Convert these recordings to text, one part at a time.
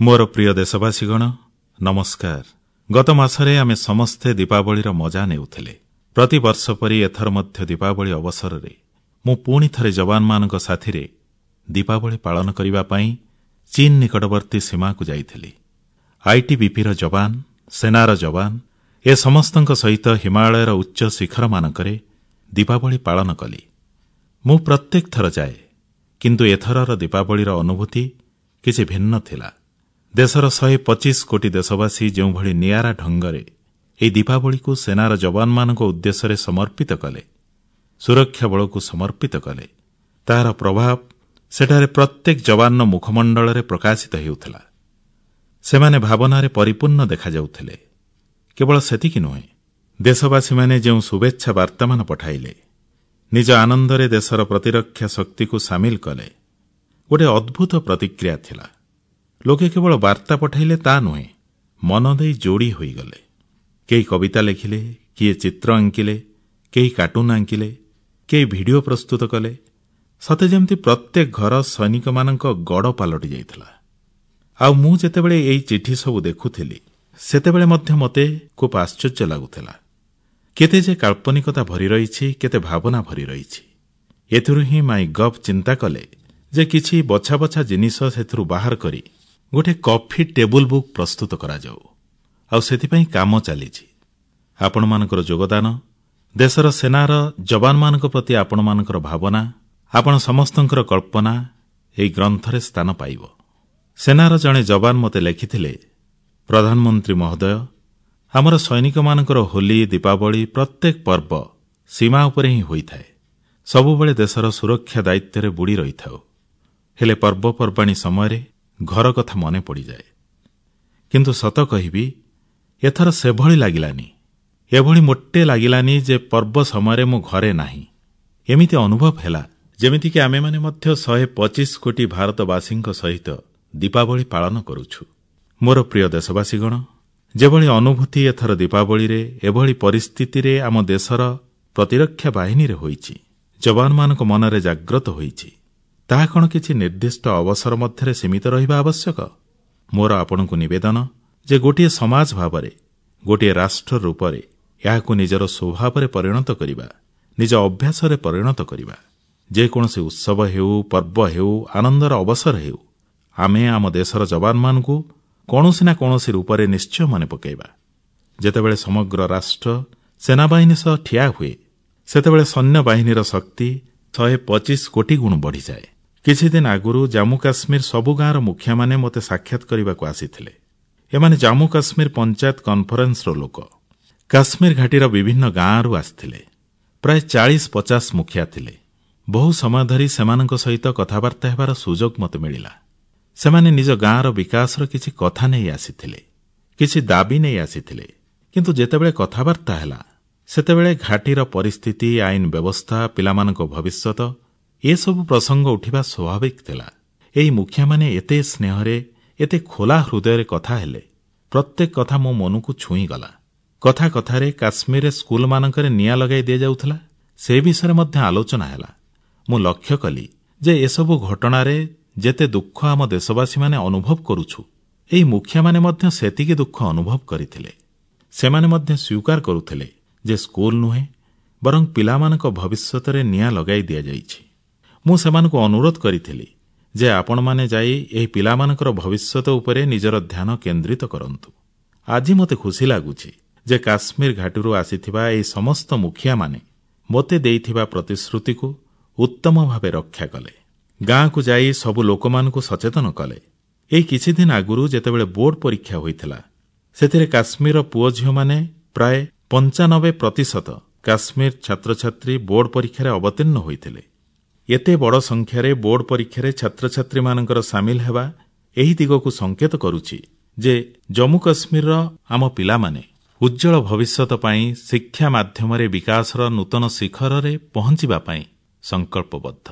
ମୋର ପ୍ରିୟ ଦେଶବାସୀଗଣ, ନମସ୍କାର। ଗତ ମାସରେ ଆମେ ସମସ୍ତେ ଦୀପାବଳିର ମଜା ନେଉଥିଲେ। ପ୍ରତିବର୍ଷ ପରି ଏଥର ମଧ୍ୟ ଦୀପାବଳି ଅବସରରେ ମୁଁ ପୁଣି ଥରେ ଯବାନମାନଙ୍କ ସାଥିରେ ଦୀପାବଳି ପାଳନ କରିବା ପାଇଁ ଚୀନ ନିକଟବର୍ତ୍ତୀ ସୀମାକୁ ଯାଇଥିଲି। ଆଇଟିବିପିର ଯବାନ, ସେନାର ଯବାନ, ଏ ସମସ୍ତଙ୍କ ସହିତ ହିମାଳୟର ଉଚ୍ଚ ଶିଖରମାନଙ୍କରେ ଦୀପାବଳି ପାଳନ କଲି। ମୁଁ ପ୍ରତ୍ୟେକ ଥର ଯାଏ, କିନ୍ତୁ ଏଥରର ଦୀପାବଳିର ଅନୁଭୂତି କିଛି ଭିନ୍ନ ଥିଲା। ଦେଶର 125 କୋଟି ଦେଶବାସୀ ଯେଉଁଭଳି ନିଆରା ଢଙ୍ଗରେ ଏହି ଦୀପାବଳିକୁ ସେନାର ଯବାନମାନଙ୍କ ଉଦ୍ଦେଶ୍ୟରେ ସମର୍ପିତ କଲେ, ସୁରକ୍ଷା ବଳକୁ ସମର୍ପିତ କଲେ, ତାହାର ପ୍ରଭାବ ସେଠାରେ ପ୍ରତ୍ୟେକ ଯବାନର ମୁଖମଣ୍ଡଳରେ ପ୍ରକାଶିତ ହେଉଥିଲା। ସେମାନେ ଭାବନାରେ ପରିପୂର୍ଣ୍ଣ ଦେଖାଯାଉଥିଲେ। କେବଳ ସେତିକି ନୁହେଁ, ଦେଶବାସୀମାନେ ଯେଉଁ ଶୁଭେଚ୍ଛା ବାର୍ତ୍ତାମାନ ପଠାଇଲେ, ନିଜ ଆନନ୍ଦରେ ଦେଶର ପ୍ରତିରକ୍ଷା ଶକ୍ତିକୁ ସାମିଲ କଲେ, ଗୋଟିଏ ଅଦ୍ଭୁତ ପ୍ରତିକ୍ରିୟା ଥିଲା। ଲୋକେ କେବଳ ବାର୍ତ୍ତା ପଠାଇଲେ ତା ନୁହେଁ, ମନ ଦେଇ ଯୋଡ଼ି ହୋଇଗଲେ। କେହି କବିତା ଲେଖିଲେ, କିଏ ଚିତ୍ର ଆଙ୍କିଲେ, କେହି କାର୍ଟୁନ ଆଙ୍କିଲେ, କେହି ଭିଡିଓ ପ୍ରସ୍ତୁତ କଲେ। ସତେ ଯେମିତି ପ୍ରତ୍ୟେକ ଘର ସୈନିକମାନଙ୍କ ଗଡ଼ ପାଲଟି ଯାଇଥିଲା। ଆଉ ମୁଁ ଯେତେବେଳେ ଏହି ଚିଠି ସବୁ ଦେଖୁଥିଲି, ସେତେବେଳେ ମଧ୍ୟ ମୋତେ ଖୁବ୍ ଆଶ୍ଚର୍ଯ୍ୟ ଲାଗୁଥିଲା। କେତେ ଯେ କାଳ୍ପନିକତା ଭରି ରହିଛି, କେତେ ଭାବନା ଭରି ରହିଛି। ଏଥିରୁ ହିଁ ମାଇ ଗଭ୍ ଚିନ୍ତା କଲେ ଯେ କିଛି ବଛା ବଛା ଜିନିଷ ସେଥିରୁ ବାହାର କରି ଗୋଟିଏ କଫି ଟେବୁଲ ବୁକ୍ ପ୍ରସ୍ତୁତ କରାଯାଉ। ଆଉ ସେଥିପାଇଁ କାମ ଚାଲିଛି। ଆପଣମାନଙ୍କର ଯୋଗଦାନ, ଦେଶର ସେନାର ଯବାନମାନଙ୍କ ପ୍ରତି ଆପଣମାନଙ୍କର ଭାବନା, ଆପଣ ସମସ୍ତଙ୍କର କଳ୍ପନା ଏହି ଗ୍ରନ୍ଥରେ ସ୍ଥାନ ପାଇବ। ସେନାର ଜଣେ ଯବାନ ମୋତେ ଲେଖିଥିଲେ, ପ୍ରଧାନମନ୍ତ୍ରୀ ମହୋଦୟ, ଆମର ସୈନିକମାନଙ୍କର ହୋଲି, ଦୀପାବଳି, ପ୍ରତ୍ୟେକ ପର୍ବ ସୀମା ଉପରେ ହିଁ ହୋଇଥାଏ। ସବୁବେଳେ ଦେଶର ସୁରକ୍ଷା ଦାୟିତ୍ୱରେ ବୁଡ଼ି ରହିଥାଉ। ହେଲେ ପର୍ବପର୍ବାଣୀ ସମୟରେ ଘର କଥା ମନେ ପଡ଼ିଯାଏ। କିନ୍ତୁ ସତ କହିବି, ଏଥର ସେଭଳି ଲାଗିଲାନି। ଏଭଳି ମୋଟେ ଲାଗିଲାନି ଯେ ପର୍ବ ସମୟରେ ମୁଁ ଘରେ ନାହିଁ। ଏମିତି ଅନୁଭବ ହେଲା ଯେମିତିକି ଆମେମାନେ ମଧ୍ୟ 125 କୋଟି ଭାରତବାସୀଙ୍କ ସହିତ ଦୀପାବଳି ପାଳନ କରୁଛୁ। ମୋର ପ୍ରିୟ ଦେଶବାସୀଗଣ, ଯେଭଳି ଅନୁଭୂତି ଏଥର ଦୀପାବଳିରେ ଏଭଳି ପରିସ୍ଥିତିରେ ଆମ ଦେଶର ପ୍ରତିରକ୍ଷା ବାହିନୀରେ ହୋଇଛି, ଯବାନମାନଙ୍କ ମନରେ ଜାଗ୍ରତ ହୋଇଛି, ତାହା କଣ କିଛି ନିର୍ଦ୍ଦିଷ୍ଟ ଅବସର ମଧ୍ୟରେ ସୀମିତ ରହିବା ଆବଶ୍ୟକ? ମୋର ଆପଣଙ୍କୁ ନିବେଦନ ଯେ ଗୋଟିଏ ସମାଜ ଭାବରେ, ଗୋଟିଏ ରାଷ୍ଟ୍ର ରୂପରେ ଏହାକୁ ନିଜର ସ୍ୱଭାବରେ ପରିଣତ କରିବା, ନିଜ ଅଭ୍ୟାସରେ ପରିଣତ କରିବା। ଯେକୌଣସି ଉତ୍ସବ ହେଉ, ପର୍ବ ହେଉ, ଆନନ୍ଦର ଅବସର ହେଉ, ଆମେ ଆମ ଦେଶର ଯବାନମାନଙ୍କୁ କୌଣସି ନା କୌଣସି ରୂପରେ ନିଶ୍ଚୟ ମନେ ପକାଇବା। ଯେତେବେଳେ ସମଗ୍ର ରାଷ୍ଟ୍ର ସେନାବାହିନୀ ସହ ଠିଆ ହୁଏ, ସେତେବେଳେ ସୈନ୍ୟବାହିନୀର ଶକ୍ତି 125 କୋଟି ଗୁଣ ବଢ଼ିଯାଏ। କିଛିଦିନ ଆଗରୁ ଜାମ୍ମୁ କାଶ୍ମୀର ସବୁ ଗାଁର ମୁଖିଆମାନେ ମୋତେ ସାକ୍ଷାତ କରିବାକୁ ଆସିଥିଲେ। ଏମାନେ ଜାମ୍ମୁ କାଶ୍ମୀର ପଞ୍ଚାୟତ କନଫରେନ୍ସର ଲୋକ। କାଶ୍ମୀର ଘାଟିର ବିଭିନ୍ନ ଗାଁରୁ ଆସିଥିଲେ। ପ୍ରାୟ 40-50 ମୁଖିଆ ଥିଲେ। ବହୁ ସମୟ ଧରି ସେମାନଙ୍କ ସହିତ କଥାବାର୍ତ୍ତା ହେବାର ସୁଯୋଗ ମୋତେ ମିଳିଲା। ସେମାନେ ନିଜ ଗାଁର ବିକାଶର କିଛି କଥା ନେଇ ଆସିଥିଲେ, କିଛି ଦାବି ନେଇ ଆସିଥିଲେ। କିନ୍ତୁ ଯେତେବେଳେ କଥାବାର୍ତ୍ତା ହେଲା, ସେତେବେଳେ ଘାଟିର ପରିସ୍ଥିତି, ଆଇନ ବ୍ୟବସ୍ଥା, ପିଲାମାନଙ୍କ ଭବିଷ୍ୟତ, ଏସବୁ ପ୍ରସଙ୍ଗ ଉଠିବା ସ୍ୱାଭାବିକ ଥିଲା। ଏହି ମୁଖିଆମାନେ ଏତେ ସ୍ନେହରେ, ଏତେ ଖୋଲା ହୃଦୟରେ କଥା ହେଲେ, ପ୍ରତ୍ୟେକ କଥା ମୋ ମନକୁ ଛୁଇଁଗଲା। କଥା କଥାରେ କାଶ୍ମୀରରେ ସ୍କୁଲମାନଙ୍କରେ ନିଆଁ ଲଗାଇ ଦିଆଯାଉଥିଲା, ସେ ବିଷୟରେ ମଧ୍ୟ ଆଲୋଚନା ହେଲା। ମୁଁ ଲକ୍ଷ୍ୟ କଲି ଯେ ଏସବୁ ଘଟଣାରେ ଯେତେ ଦୁଃଖ ଆମ ଦେଶବାସୀମାନେ ଅନୁଭବ କରୁଛୁ, ଏହି ମୁଖିଆମାନେ ମଧ୍ୟ ସେତିକି ଦୁଃଖ ଅନୁଭବ କରିଥିଲେ। ସେମାନେ ମଧ୍ୟ ସ୍ୱୀକାର କରୁଥିଲେ ଯେ ସ୍କୁଲ ନୁହେଁ, ବରଂ ପିଲାମାନଙ୍କ ଭବିଷ୍ୟତରେ ନିଆଁ ଲଗାଇ ଦିଆଯାଇଛି। ମୁଁ ସେମାନଙ୍କୁ ଅନୁରୋଧ କରିଥିଲି ଯେ ଆପଣମାନେ ଯାଇ ଏହି ପିଲାମାନଙ୍କର ଭବିଷ୍ୟତ ଉପରେ ନିଜର ଧ୍ୟାନ କେନ୍ଦ୍ରିତ କରନ୍ତୁ। ଆଜି ମୋତେ ଖୁସି ଲାଗୁଛି ଯେ କାଶ୍ମୀର ଘାଟିରୁ ଆସିଥିବା ଏହି ସମସ୍ତ ମୁଖିଆମାନେ ମୋତେ ଦେଇଥିବା ପ୍ରତିଶ୍ରୁତିକୁ ଉତ୍ତମ ଭାବେ ରକ୍ଷା କଲେ। ଗାଁକୁ ଯାଇ ସବୁ ଲୋକମାନଙ୍କୁ ସଚେତନ କଲେ। ଏହି କିଛିଦିନ ଆଗରୁ ଯେତେବେଳେ ବୋର୍ଡ ପରୀକ୍ଷା ହୋଇଥିଲା, ସେଥିରେ କାଶ୍ମୀରର ପୁଅ ଝିଅମାନେ ପ୍ରାୟ 95% କାଶ୍ମୀର ଛାତ୍ରଛାତ୍ରୀ ବୋର୍ଡ ପରୀକ୍ଷାରେ ଅବତୀର୍ଣ୍ଣ ହୋଇଥିଲେ। ଏତେ ବଡ଼ ସଂଖ୍ୟାରେ ବୋର୍ଡ ପରୀକ୍ଷାରେ ଛାତ୍ରଛାତ୍ରୀମାନଙ୍କର ସାମିଲ ହେବା ଏହି ଦିଗକୁ ସଂକେତ କରୁଛି ଯେ ଜମ୍ମୁ କାଶ୍ମୀରର ଆମ ପିଲାମାନେ ଉଜ୍ଜ୍ୱଳ ଭବିଷ୍ୟତ ପାଇଁ ଶିକ୍ଷା ମାଧ୍ୟମରେ ବିକାଶର ନୂତନ ଶିଖରରେ ପହଞ୍ଚିବା ପାଇଁ ସଂକଳ୍ପବଦ୍ଧ।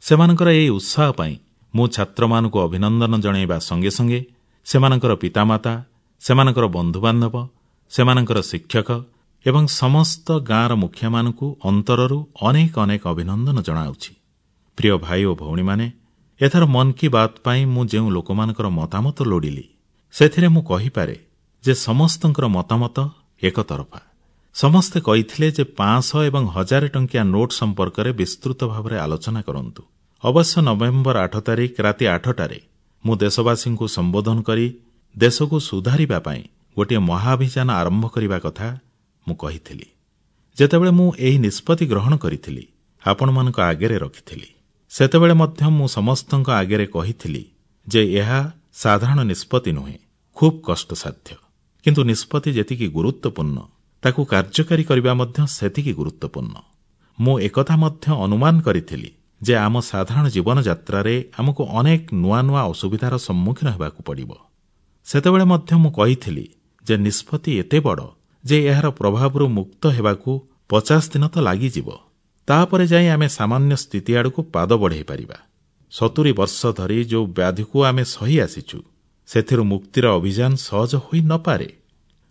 ସେମାନଙ୍କର ଏହି ଉତ୍ସାହ ପାଇଁ ମୁଁ ଛାତ୍ରମାନଙ୍କୁ ଅଭିନନ୍ଦନ ଜଣାଇବା ସଙ୍ଗେ ସଙ୍ଗେ ସେମାନଙ୍କର ପିତାମାତା, ସେମାନଙ୍କର ବନ୍ଧୁବାନ୍ଧବ, ସେମାନଙ୍କର ଶିକ୍ଷକ ଏବଂ ସମସ୍ତ ଗାଁର ମୁଖିଆମାନଙ୍କୁ ଅନ୍ତରରୁ ଅନେକ ଅନେକ ଅଭିନନ୍ଦନ ଜଣାଉଛି। ପ୍ରିୟ ଭାଇ ଓ ଭଉଣୀମାନେ, ଏଥର ମନ୍ କି ବାତ୍ ପାଇଁ ମୁଁ ଯେଉଁ ଲୋକମାନଙ୍କର ମତାମତ ଲୋଡ଼ିଲି, ସେଥିରେ ମୁଁ କହିପାରେ ଯେ ସମସ୍ତଙ୍କର ମତାମତ ଏକତରଫା। ସମସ୍ତେ କହିଥିଲେ ଯେ 500 ଏବଂ 1000 ଟଙ୍କିଆ ନୋଟ ସମ୍ପର୍କରେ ବିସ୍ତୃତ ଭାବରେ ଆଲୋଚନା କରନ୍ତୁ। ଅବଶ୍ୟ ନଭେମ୍ବର 8 ତାରିଖ ରାତି 8ଟାରେ ମୁଁ ଦେଶବାସୀଙ୍କୁ ସମ୍ବୋଧନ କରି ଦେଶକୁ ସୁଧାରିବା ପାଇଁ ଗୋଟିଏ ମହାଅଭିଯାନ ଆରମ୍ଭ କରିବା କଥା ମୁଁ କହିଥିଲି। ଯେତେବେଳେ ମୁଁ ଏହି ନିଷ୍ପତ୍ତି ଗ୍ରହଣ କରିଥିଲି, ଆପଣମାନଙ୍କ ଆଗରେ ରଖିଥିଲି, ସେତେବେଳେ ମଧ୍ୟ ମୁଁ ସମସ୍ତଙ୍କ ଆଗରେ କହିଥିଲି ଯେ ଏହା ସାଧାରଣ ନିଷ୍ପତ୍ତି ନୁହେଁ, ଖୁବ୍ କଷ୍ଟସାଧ୍ୟ। କିନ୍ତୁ ନିଷ୍ପତ୍ତି ଯେତିକି ଗୁରୁତ୍ୱପୂର୍ଣ୍ଣ, ତାକୁ କାର୍ଯ୍ୟକାରୀ କରିବା ମଧ୍ୟ ସେତିକି ଗୁରୁତ୍ୱପୂର୍ଣ୍ଣ। ମୁଁ ଏକଥା ମଧ୍ୟ ଅନୁମାନ କରିଥିଲି ଯେ ଆମ ସାଧାରଣ ଜୀବନଯାତ୍ରାରେ ଆମକୁ ଅନେକ ନୂଆ ନୂଆ ଅସୁବିଧାର ସମ୍ମୁଖୀନ ହେବାକୁ ପଡ଼ିବ। ସେତେବେଳେ ମଧ୍ୟ ମୁଁ କହିଥିଲି ଯେ ନିଷ୍ପତ୍ତି ଏତେ ବଡ଼ ଯେ ଏହାର ପ୍ରଭାବରୁ ମୁକ୍ତ ହେବାକୁ 50 ଦିନ ତ ଲାଗିଯିବ। ତାପରେ ଯାଇ ଆମେ ସାମାନ୍ୟ ସ୍ଥିତି ଆଡ଼କୁ ପାଦ ବଢ଼ାଇ ପାରିବା। 70 ବର୍ଷ ଧରି ଯେଉଁ ବ୍ୟାଧିକୁ ଆମେ ସହି ଆସିଛୁ, ସେଥିରୁ ମୁକ୍ତିର ଅଭିଯାନ ସହଜ ହୋଇ ନପାରେ।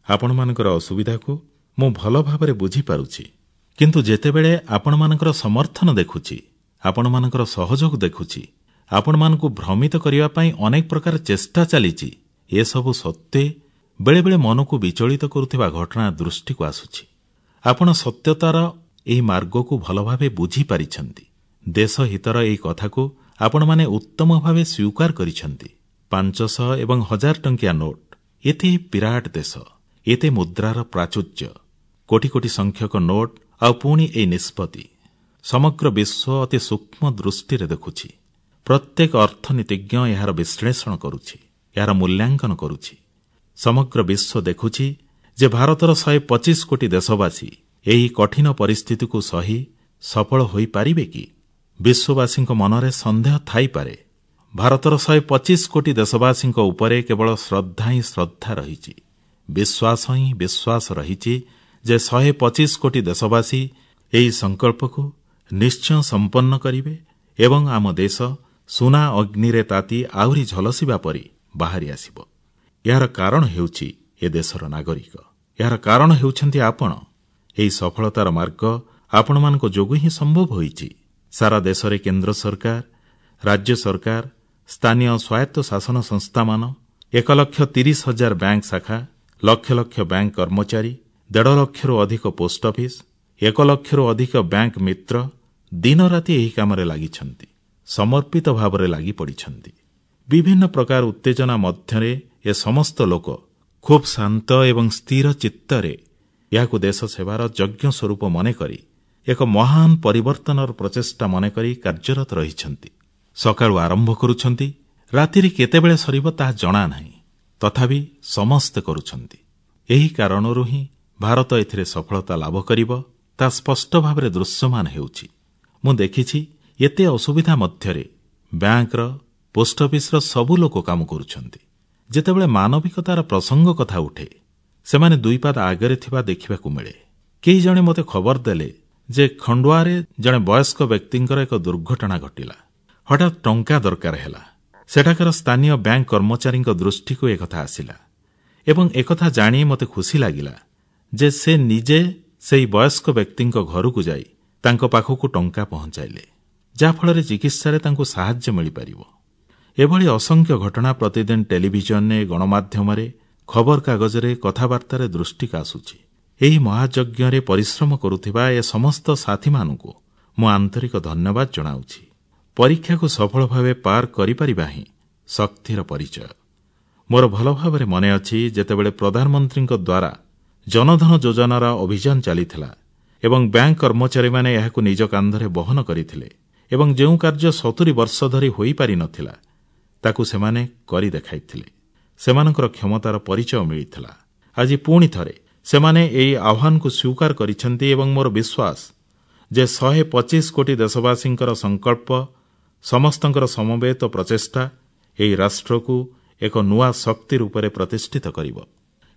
ଆପଣମାନଙ୍କର ଅସୁବିଧାକୁ ମୁଁ ଭଲ ଭାବରେ ବୁଝିପାରୁଛି। କିନ୍ତୁ ଯେତେବେଳେ ଆପଣମାନଙ୍କର ସମର୍ଥନ ଦେଖୁଛି, ଆପଣମାନଙ୍କର ସହଯୋଗ ଦେଖୁଛି, ଆପଣମାନଙ୍କୁ ଭ୍ରମିତ କରିବା ପାଇଁ ଅନେକ ପ୍ରକାର ଚେଷ୍ଟା ଚାଲିଛି, ଏସବୁ ସତ୍ତ୍ୱେ ବେଳେବେଳେ ମନକୁ ବିଚଳିତ କରୁଥିବା ଘଟଣା ଦୃଷ୍ଟିକୁ ଆସୁଛି। ଆପଣ ସତ୍ୟତାର ଏହି ମାର୍ଗକୁ ଭଲ ଭାବେ ବୁଝିପାରିଛନ୍ତି। ଦେଶହିତର ଏହି କଥାକୁ ଆପଣମାନେ ଉତ୍ତମ ଭାବେ ସ୍ୱୀକାର କରିଛନ୍ତି। 500 ଏବଂ 1000 ଟଙ୍କିଆ ନୋଟ, ଏତେ ବିରାଟ ଦେଶ, ଏତେ ମୁଦ୍ରାର ପ୍ରାଚୁର୍ଯ୍ୟ, କୋଟି କୋଟି ସଂଖ୍ୟକ ନୋଟ, ଆଉ ପୁଣି ଏହି ନିଷ୍ପତ୍ତି। ସମଗ୍ର ବିଶ୍ୱ ଅତି ସୂକ୍ଷ୍ମ ଦୃଷ୍ଟିରେ ଦେଖୁଛି। ପ୍ରତ୍ୟେକ ଅର୍ଥନୀତିଜ୍ଞ ଏହାର ବିଶ୍ଳେଷଣ କରୁଛି, ଏହାର ମୂଲ୍ୟାଙ୍କନ କରୁଛି। ସମଗ୍ର ବିଶ୍ୱ ଦେଖୁଛି ଯେ ଭାରତର 125 କୋଟି ଦେଶବାସୀ ଏହି କଠିନ ପରିସ୍ଥିତିକୁ ସହି ସଫଳ ହୋଇପାରିବେ କି? ବିଶ୍ୱବାସୀଙ୍କ ମନରେ ସନ୍ଦେହ ଥାଇପାରେ। ଭାରତର 125 କୋଟି ଦେଶବାସୀଙ୍କ ଉପରେ କେବଳ ଶ୍ରଦ୍ଧା ହିଁ ଶ୍ରଦ୍ଧା ରହିଛି, ବିଶ୍ୱାସ ହିଁ ବିଶ୍ୱାସ ରହିଛି ଯେ 125 କୋଟି ଦେଶବାସୀ ଏହି ସଂକଳ୍ପକୁ ନିଶ୍ଚୟ ସମ୍ପନ୍ନ କରିବେ ଏବଂ ଆମ ଦେଶ ସୁନା ଅଗ୍ନିରେ ତାତି ଆହୁରି ଝଲସିବା ପରି ବାହାରି ଆସିବ। ଏହାର କାରଣ ହେଉଛି ଏ ଦେଶର ନାଗରିକ। ଏହାର କାରଣ ହେଉଛନ୍ତି ଆପଣ। ଏହି ସଫଳତାର ମାର୍ଗ ଆପଣମାନଙ୍କ ଯୋଗୁଁ ହିଁ ସମ୍ଭବ ହୋଇଛି। ସାରା ଦେଶରେ କେନ୍ଦ୍ର ସରକାର, ରାଜ୍ୟ ସରକାର, ସ୍ଥାନୀୟ ସ୍ୱାୟତ୍ତ ଶାସନ ସଂସ୍ଥାମାନ, 1,30,000 ବ୍ୟାଙ୍କ ଶାଖା, ଲକ୍ଷ ଲକ୍ଷ ବ୍ୟାଙ୍କ କର୍ମଚାରୀ, 1.5 ଲକ୍ଷରୁ ଅଧିକ ପୋଷ୍ଟ ଅଫିସ, 1 ଲକ୍ଷରୁ ଅଧିକ ବ୍ୟାଙ୍କ ମିତ୍ର ଦିନରାତି ଏହି କାମରେ ଲାଗିଛନ୍ତି, ସମର୍ପିତ ଭାବରେ ଲାଗି ପଡ଼ିଛନ୍ତି। ବିଭିନ୍ନ ପ୍ରକାର ଉତ୍ତେଜନା ମଧ୍ୟରେ ଏ ସମସ୍ତ ଲୋକ ଖୁବ୍ ଶାନ୍ତ ଏବଂ ସ୍ଥିର ଚିତ୍ତରେ ଏହାକୁ ଦେଶ ସେବାର ଯଜ୍ଞ ସ୍ୱରୂପ ମନେକରି, ଏକ ମହାନ ପରିବର୍ତ୍ତନର ପ୍ରଚେଷ୍ଟା ମନେକରି କାର୍ଯ୍ୟରତ ରହିଛନ୍ତି। ସକାଳୁ ଆରମ୍ଭ କରୁଛନ୍ତି, ରାତିରେ କେତେବେଳେ ସରିବ ତାହା ଜଣା ନାହିଁ, ତଥାପି ସମସ୍ତେ କରୁଛନ୍ତି। ଏହି କାରଣରୁ ହିଁ ଭାରତ ଏଥିରେ ସଫଳତା ଲାଭ କରିବ, ତାହା ସ୍ପଷ୍ଟ ଭାବରେ ଦୃଶ୍ୟମାନ ହେଉଛି। ମୁଁ ଦେଖିଛି ଏତେ ଅସୁବିଧା ମଧ୍ୟରେ ବ୍ୟାଙ୍କର, ପୋଷ୍ଟ ଅଫିସର ସବୁ ଲୋକ କାମ କରୁଛନ୍ତି। ଯେତେବେଳେ ମାନବିକତାର ପ୍ରସଙ୍ଗ କଥା ଉଠେ, ସେମାନେ ଦୁଇ ପାଦ ଆଗରେ ଥିବା ଦେଖିବାକୁ ମିଳେ। କେହି ଜଣେ ମୋତେ ଖବର ଦେଲେ ଯେ ଖଣ୍ଡୁଆରେ ଜଣେ ବୟସ୍କ ବ୍ୟକ୍ତିଙ୍କର ଏକ ଦୁର୍ଘଟଣା ଘଟିଲା। ହଠାତ୍ ଟଙ୍କା ଦରକାର ହେଲା। ସେଠାକାର ସ୍ଥାନୀୟ ବ୍ୟାଙ୍କ କର୍ମଚାରୀଙ୍କ ଦୃଷ୍ଟିକୁ ଏକଥା ଆସିଲା ଏବଂ ଏକଥା ଜାଣି ମୋତେ ଖୁସି ଲାଗିଲା ଯେ ସେ ନିଜେ ସେହି ବୟସ୍କ ବ୍ୟକ୍ତିଙ୍କ ଘରକୁ ଯାଇ ତାଙ୍କ ପାଖକୁ ଟଙ୍କା ପହଞ୍ଚାଇଲେ, ଯାହାଫଳରେ ଚିକିତ୍ସାରେ ତାଙ୍କୁ ସାହାଯ୍ୟ ମିଳିପାରିବ। ଏଭଳି ଅସଂଖ୍ୟ ଘଟଣା ପ୍ରତିଦିନ ଟେଲିଭିଜନରେ, ଗଣମାଧ୍ୟମରେ, ଖବରକାଗଜରେ, କଥାବାର୍ତ୍ତାରେ ଦୃଷ୍ଟିକୁ ଆସୁଛି। ଏହି ମହାଯଜ୍ଞରେ ପରିଶ୍ରମ କରୁଥିବା ଏ ସମସ୍ତ ସାଥୀମାନଙ୍କୁ ମୁଁ ଆନ୍ତରିକ ଧନ୍ୟବାଦ ଜଣାଉଛି। ପରୀକ୍ଷାକୁ ସଫଳ ଭାବେ ପାର କରିପାରିବା ହିଁ ଶକ୍ତିର ପରିଚୟ। ମୋର ଭଲ ଭାବରେ ମନେ ଅଛି, ଯେତେବେଳେ ପ୍ରଧାନମନ୍ତ୍ରୀଙ୍କ ଦ୍ୱାରା ଜନଧନ ଯୋଜନାର ଅଭିଯାନ ଚାଲିଥିଲା ଏବଂ ବ୍ୟାଙ୍କ କର୍ମଚାରୀମାନେ ଏହାକୁ ନିଜ କାନ୍ଧରେ ବହନ କରିଥିଲେ ଏବଂ ଯେଉଁ କାର୍ଯ୍ୟ 70 ବର୍ଷ ଧରି ହୋଇପାରିନଥିଲା ତାକୁ ସେମାନେ କରି ଦେଖାଇଥିଲେ, ସେମାନଙ୍କର କ୍ଷମତାର ପରିଚୟ ମିଳିଥିଲା। ଆଜି ପୁଣି ଥରେ ସେମାନେ ଏହି ଆହ୍ୱାନକୁ ସ୍ୱୀକାର କରିଛନ୍ତି ଏବଂ ମୋର ବିଶ୍ୱାସ ଯେ 125 କୋଟି ଦେଶବାସୀଙ୍କର ସଂକଳ୍ପ, ସମସ୍ତଙ୍କର ସମବେତ ପ୍ରଚେଷ୍ଟା ଏହି ରାଷ୍ଟ୍ରକୁ ଏକ ନୂଆ ଶକ୍ତି ରୂପରେ ପ୍ରତିଷ୍ଠିତ କରିବ।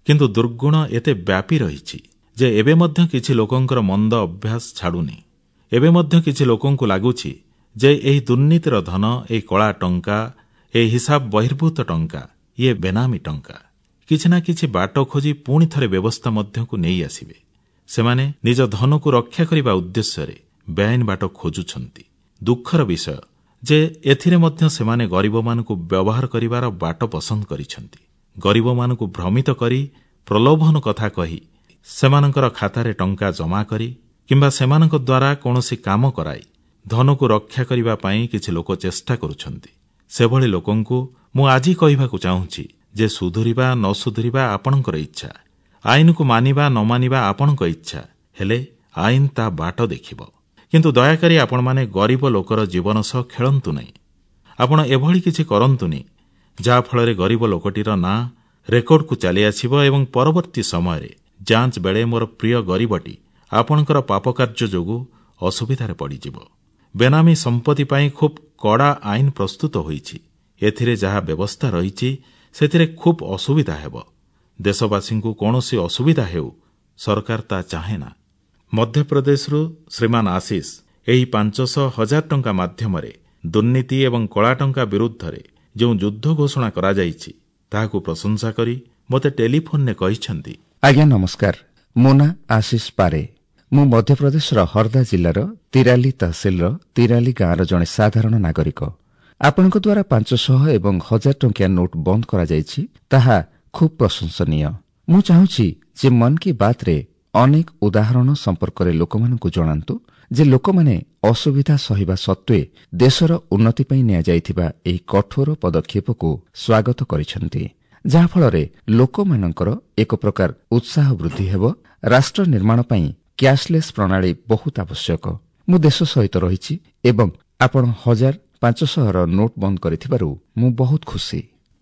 କିନ୍ତୁ ଦୁର୍ଗୁଣ ଏତେ ବ୍ୟାପି ରହିଛି ଯେ ଏବେ ମଧ୍ୟ କିଛି ଲୋକଙ୍କର ମନ୍ଦ ଅଭ୍ୟାସ ଛାଡ଼ୁନି। ଏବେ ମଧ୍ୟ କିଛି ଲୋକଙ୍କୁ ଲାଗୁଛି ଯେ ଏହି ଦୁର୍ନୀତିର ଧନ, ଏହି କଳା ଟଙ୍କା, ଏହି ହିସାବ ବହିର୍ଭୂତ ଟଙ୍କା, ଇଏ ବେନାମୀ ଟଙ୍କା। କିଛି ନା କିଛି ବାଟ ଖୋଜି ପୁଣି ଥରେ ବ୍ୟବସ୍ଥା ମଧ୍ୟକୁ ନେଇ ଆସିବେ। ସେମାନେ ନିଜ ଧନକୁ ରକ୍ଷା କରିବା ଉଦ୍ଦେଶ୍ୟରେ ବେଆଇନ ବାଟ ଖୋଜୁଛନ୍ତି। ଦୁଃଖର ବିଷୟ ଯେ ଏଥିରେ ମଧ୍ୟ ସେମାନେ ଗରିବମାନଙ୍କୁ ବ୍ୟବହାର କରିବାର ବାଟ ପସନ୍ଦ କରିଛନ୍ତି। ଗରିବମାନଙ୍କୁ ଭ୍ରମିତ କରି ପ୍ରଲୋଭନ କଥା କହି ସେମାନଙ୍କର ଖାତାରେ ଟଙ୍କା ଜମା କରି କିମ୍ବା ସେମାନଙ୍କ ଦ୍ୱାରା କୌଣସି କାମ କରାଇ ଧନକୁ ରକ୍ଷା କରିବା ପାଇଁ କିଛି ଲୋକ ଚେଷ୍ଟା କରୁଛନ୍ତି। ସେଭଳି ଲୋକଙ୍କୁ ମୁଁ ଆଜି କହିବାକୁ ଚାହୁଁଛି ଯେ ସୁଧୁରିବା ନ ସୁଧୁରିବା ଆପଣଙ୍କର ଇଚ୍ଛା, ଆଇନକୁ ମାନିବା ନ ମାନିବା ଆପଣଙ୍କ ଇଚ୍ଛା, ହେଲେ ଆଇନ ତା ବାଟ ଦେଖିବ। କିନ୍ତୁ ଦୟାକରି ଆପଣମାନେ ଗରିବ ଲୋକର ଜୀବନ ସହ ଖେଳନ୍ତୁ ନାହିଁ। ଆପଣ ଏଭଳି କିଛି କରନ୍ତୁନି ଯାହାଫଳରେ ଗରିବ ଲୋକଟିର ନାଁ ରେକର୍ଡକୁ ଚାଲିଆସିବ ଏବଂ ପରବର୍ତ୍ତୀ ସମୟରେ ଯାଞ୍ଚ ବେଳେ ମୋର ପ୍ରିୟ ଗରିବଟି ଆପଣଙ୍କର ପାପକାର୍ଯ୍ୟ ଯୋଗୁଁ ଅସୁବିଧାରେ ପଡ଼ିଯିବ। ବେନାମୀ ସମ୍ପତ୍ତି ପାଇଁ ଖୁବ୍ କଡ଼ା ଆଇନ ପ୍ରସ୍ତୁତ ହୋଇଛି। ଏଥିରେ ଯାହା ବ୍ୟବସ୍ଥା ରହିଛି ସେଥିରେ ଖୁବ୍ ଅସୁବିଧା ହେବ। ଦେଶବାସୀଙ୍କୁ କୌଣସି ଅସୁବିଧା ହେଉ ସରକାର ତାହା ଚାହେଁନା। ମଧ୍ୟପ୍ରଦେଶରୁ ଶ୍ରୀମାନ ଆଶିଷ ଏହି 500 1000 ଟଙ୍କା ମାଧ୍ୟମରେ ଦୁର୍ନୀତି ଏବଂ କଳାଟଙ୍କା ବିରୁଦ୍ଧରେ ଯେଉଁ ଯୁଦ୍ଧ ଘୋଷଣା କରାଯାଇଛି ତାହାକୁ ପ୍ରଶଂସା କରି ମୋତେ ଟେଲିଫୋନରେ କହିଛନ୍ତି, ଆଜ୍ଞା ନମସ୍କାର, ମୋ ନାଁ ଆଶିଷ ପାରେ। ମୁଁ ମଧ୍ୟପ୍ରଦେଶର ହରଦା ଜିଲ୍ଲାର ତିରାଲି ତହସିଲର ତିରାଲି ଗାଁର ଜଣେ ସାଧାରଣ ନାଗରିକ। ଆପଣଙ୍କ ଦ୍ୱାରା 500 ଏବଂ 1000 ଟଙ୍କିଆ ନୋଟ୍ ବନ୍ଦ କରାଯାଇଛି, ତାହା ଖୁବ୍ ପ୍ରଶଂସନୀୟ। ମୁଁ ଚାହୁଁଛି ଯେ ମନ୍ କି ବାତ୍ରେ ଅନେକ ଉଦାହରଣ ସମ୍ପର୍କରେ ଲୋକମାନଙ୍କୁ ଜଣାନ୍ତୁ ଯେ ଲୋକମାନେ ଅସୁବିଧା ସହିବା ସତ୍ତ୍ୱେ ଦେଶର ଉନ୍ନତି ପାଇଁ ନିଆଯାଇଥିବା ଏହି କଠୋର ପଦକ୍ଷେପକୁ ସ୍ୱାଗତ କରିଛନ୍ତି, ଯାହାଫଳରେ ଲୋକମାନଙ୍କର ଏକ ପ୍ରକାର ଉତ୍ସାହ ବୃଦ୍ଧି ହେବ। ରାଷ୍ଟ୍ର ନିର୍ମାଣ ପାଇଁ କ୍ୟାଶଲେସ୍ ପ୍ରଣାଳୀ ବହୁତ ଆବଶ୍ୟକ। ମୁଁ ଦେଶ ସହିତ ରହିଛି ଏବଂ ଆପଣ 1000 500ର ନୋଟ୍ ବନ୍ଦ କରିଥିବାରୁ ମୁଁ ବହୁତ ଖୁସି।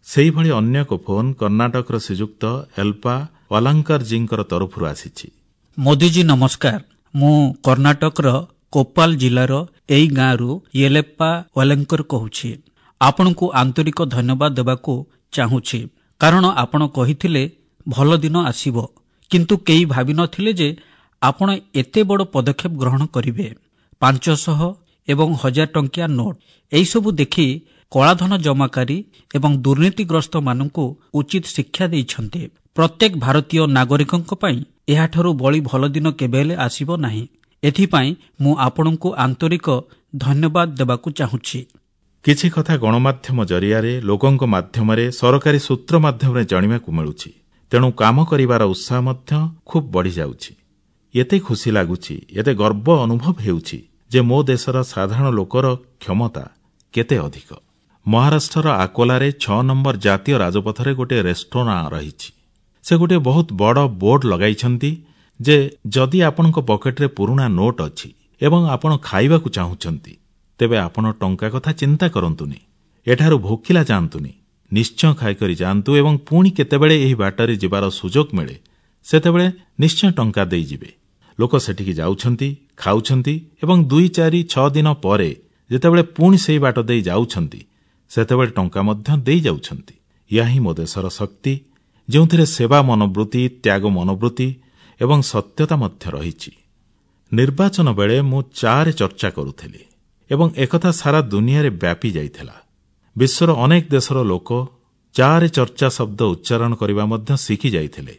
ସେହିଭଳି ଅନ୍ୟ ଏକ ଫୋନ୍ କର୍ଣ୍ଣାଟକର ଶ୍ରୀଯୁକ୍ତ ଏଲ୍ପା ୱାଲାଙ୍କରଜୀଙ୍କ ତରଫରୁ ଆସିଛି। ମୋଦିଜୀ ନମସ୍କାର, ମୁଁ କର୍ଣ୍ଣାଟକର କୋପାଲ ଜିଲ୍ଲାର ଏଇ ଗାଁରୁ ୟେଲେପ୍ପା ୱାଲେଙ୍କର କହୁଛି। ଆପଣଙ୍କୁ ଆନ୍ତରିକ ଧନ୍ୟବାଦ ଦେବାକୁ ଚାହୁଁଛି, କାରଣ ଆପଣ କହିଥିଲେ ଭଲ ଦିନ ଆସିବ, କିନ୍ତୁ କେହି ଭାବିନଥିଲେ ଯେ ଆପଣ ଏତେ ବଡ଼ ପଦକ୍ଷେପ ଗ୍ରହଣ କରିବେ। 500 ଏବଂ 1000 ଟଙ୍କିଆ ନୋଟ୍ ଏହିସବୁ ଦେଖି କଳାଧନ ଜମାକାରୀ ଏବଂ ଦୁର୍ନୀତିଗ୍ରସ୍ତମାନଙ୍କୁ ଉଚିତ ଶିକ୍ଷା ଦେଇଛନ୍ତି। ପ୍ରତ୍ୟେକ ଭାରତୀୟ ନାଗରିକଙ୍କ ପାଇଁ ଏହାଠାରୁ ବଳି ଭଲ ଦିନ କେବେ ହେଲେ ଆସିବ ନାହିଁ। ଏଥିପାଇଁ ମୁଁ ଆପଣଙ୍କୁ ଆନ୍ତରିକ ଧନ୍ୟବାଦ ଦେବାକୁ ଚାହୁଁଛି। କିଛି କଥା ଗଣମାଧ୍ୟମ ଜରିଆରେ, ଲୋକଙ୍କ ମାଧ୍ୟମରେ, ସରକାରୀ ସୂତ୍ର ମାଧ୍ୟମରେ ଜାଣିବାକୁ ମିଳୁଛି। ତେଣୁ କାମ କରିବାର ଉତ୍ସାହ ମଧ୍ୟ ଖୁବ୍ ବଢ଼ିଯାଉଛି। ଏତେ ଖୁସି ଲାଗୁଛି, ଏତେ ଗର୍ବ ଅନୁଭବ ହେଉଛି ଯେ ମୋ ଦେଶର ସାଧାରଣ ଲୋକର କ୍ଷମତା କେତେ ଅଧିକ। ମହାରାଷ୍ଟ୍ରର ଆକୋଲାରେ 6 ନମ୍ବର ଜାତୀୟ ରାଜପଥରେ ଗୋଟିଏ ରେଷ୍ଟୁରାଁ ରହିଛି। ସେ ଗୋଟିଏ ବହୁତ ବଡ଼ ବୋର୍ଡ ଲଗାଇଛନ୍ତି ଯେ ଯଦି ଆପଣଙ୍କ ପକେଟରେ ପୁରୁଣା ନୋଟ୍ ଅଛି ଏବଂ ଆପଣ ଖାଇବାକୁ ଚାହୁଁଛନ୍ତି, ତେବେ ଆପଣ ଟଙ୍କା କଥା ଚିନ୍ତା କରନ୍ତୁନି, ଏଠାରୁ ଭୋକିଲା ଯାଆନ୍ତୁନି, ନିଶ୍ଚୟ ଖାଇକରି ଯାଆନ୍ତୁ ଏବଂ ପୁଣି କେତେବେଳେ ଏହି ବାଟରେ ଯିବାର ସୁଯୋଗ ମିଳେ ସେତେବେଳେ ନିଶ୍ଚୟ ଟଙ୍କା ଦେଇଯିବେ। ଲୋକ ସେଠିକି ଯାଉଛନ୍ତି, ଖାଉଛନ୍ତି ଏବଂ 2, 4, 6 ଦିନ ପରେ ଯେତେବେଳେ ପୁଣି ସେହି ବାଟ ଦେଇ ଯାଉଛନ୍ତି ସେତେବେଳେ ଟଙ୍କା ମଧ୍ୟ ଦେଇଯାଉଛନ୍ତି। ଏହା ହିଁ ମୋ ଦେଶର ଶକ୍ତି, ଯେଉଁଥିରେ ସେବା ମନୋବୃତ୍ତି, ତ୍ୟାଗ ମନୋବୃତ୍ତି ଏବଂ ସତ୍ୟତା ମଧ୍ୟ ରହିଛି। ନିର୍ବାଚନ ବେଳେ ମୁଁ ଚାରେ ଚର୍ଚ୍ଚା କରୁଥିଲି ଏବଂ ଏକଥା ସାରା ଦୁନିଆରେ ବ୍ୟାପି ଯାଇଥିଲା। ବିଶ୍ୱର ଅନେକ ଦେଶର ଲୋକ ଚାରେ ଚର୍ଚ୍ଚା ଶବ୍ଦ ଉଚ୍ଚାରଣ କରିବା ମଧ୍ୟ ଶିଖି ଯାଇଥିଲେ।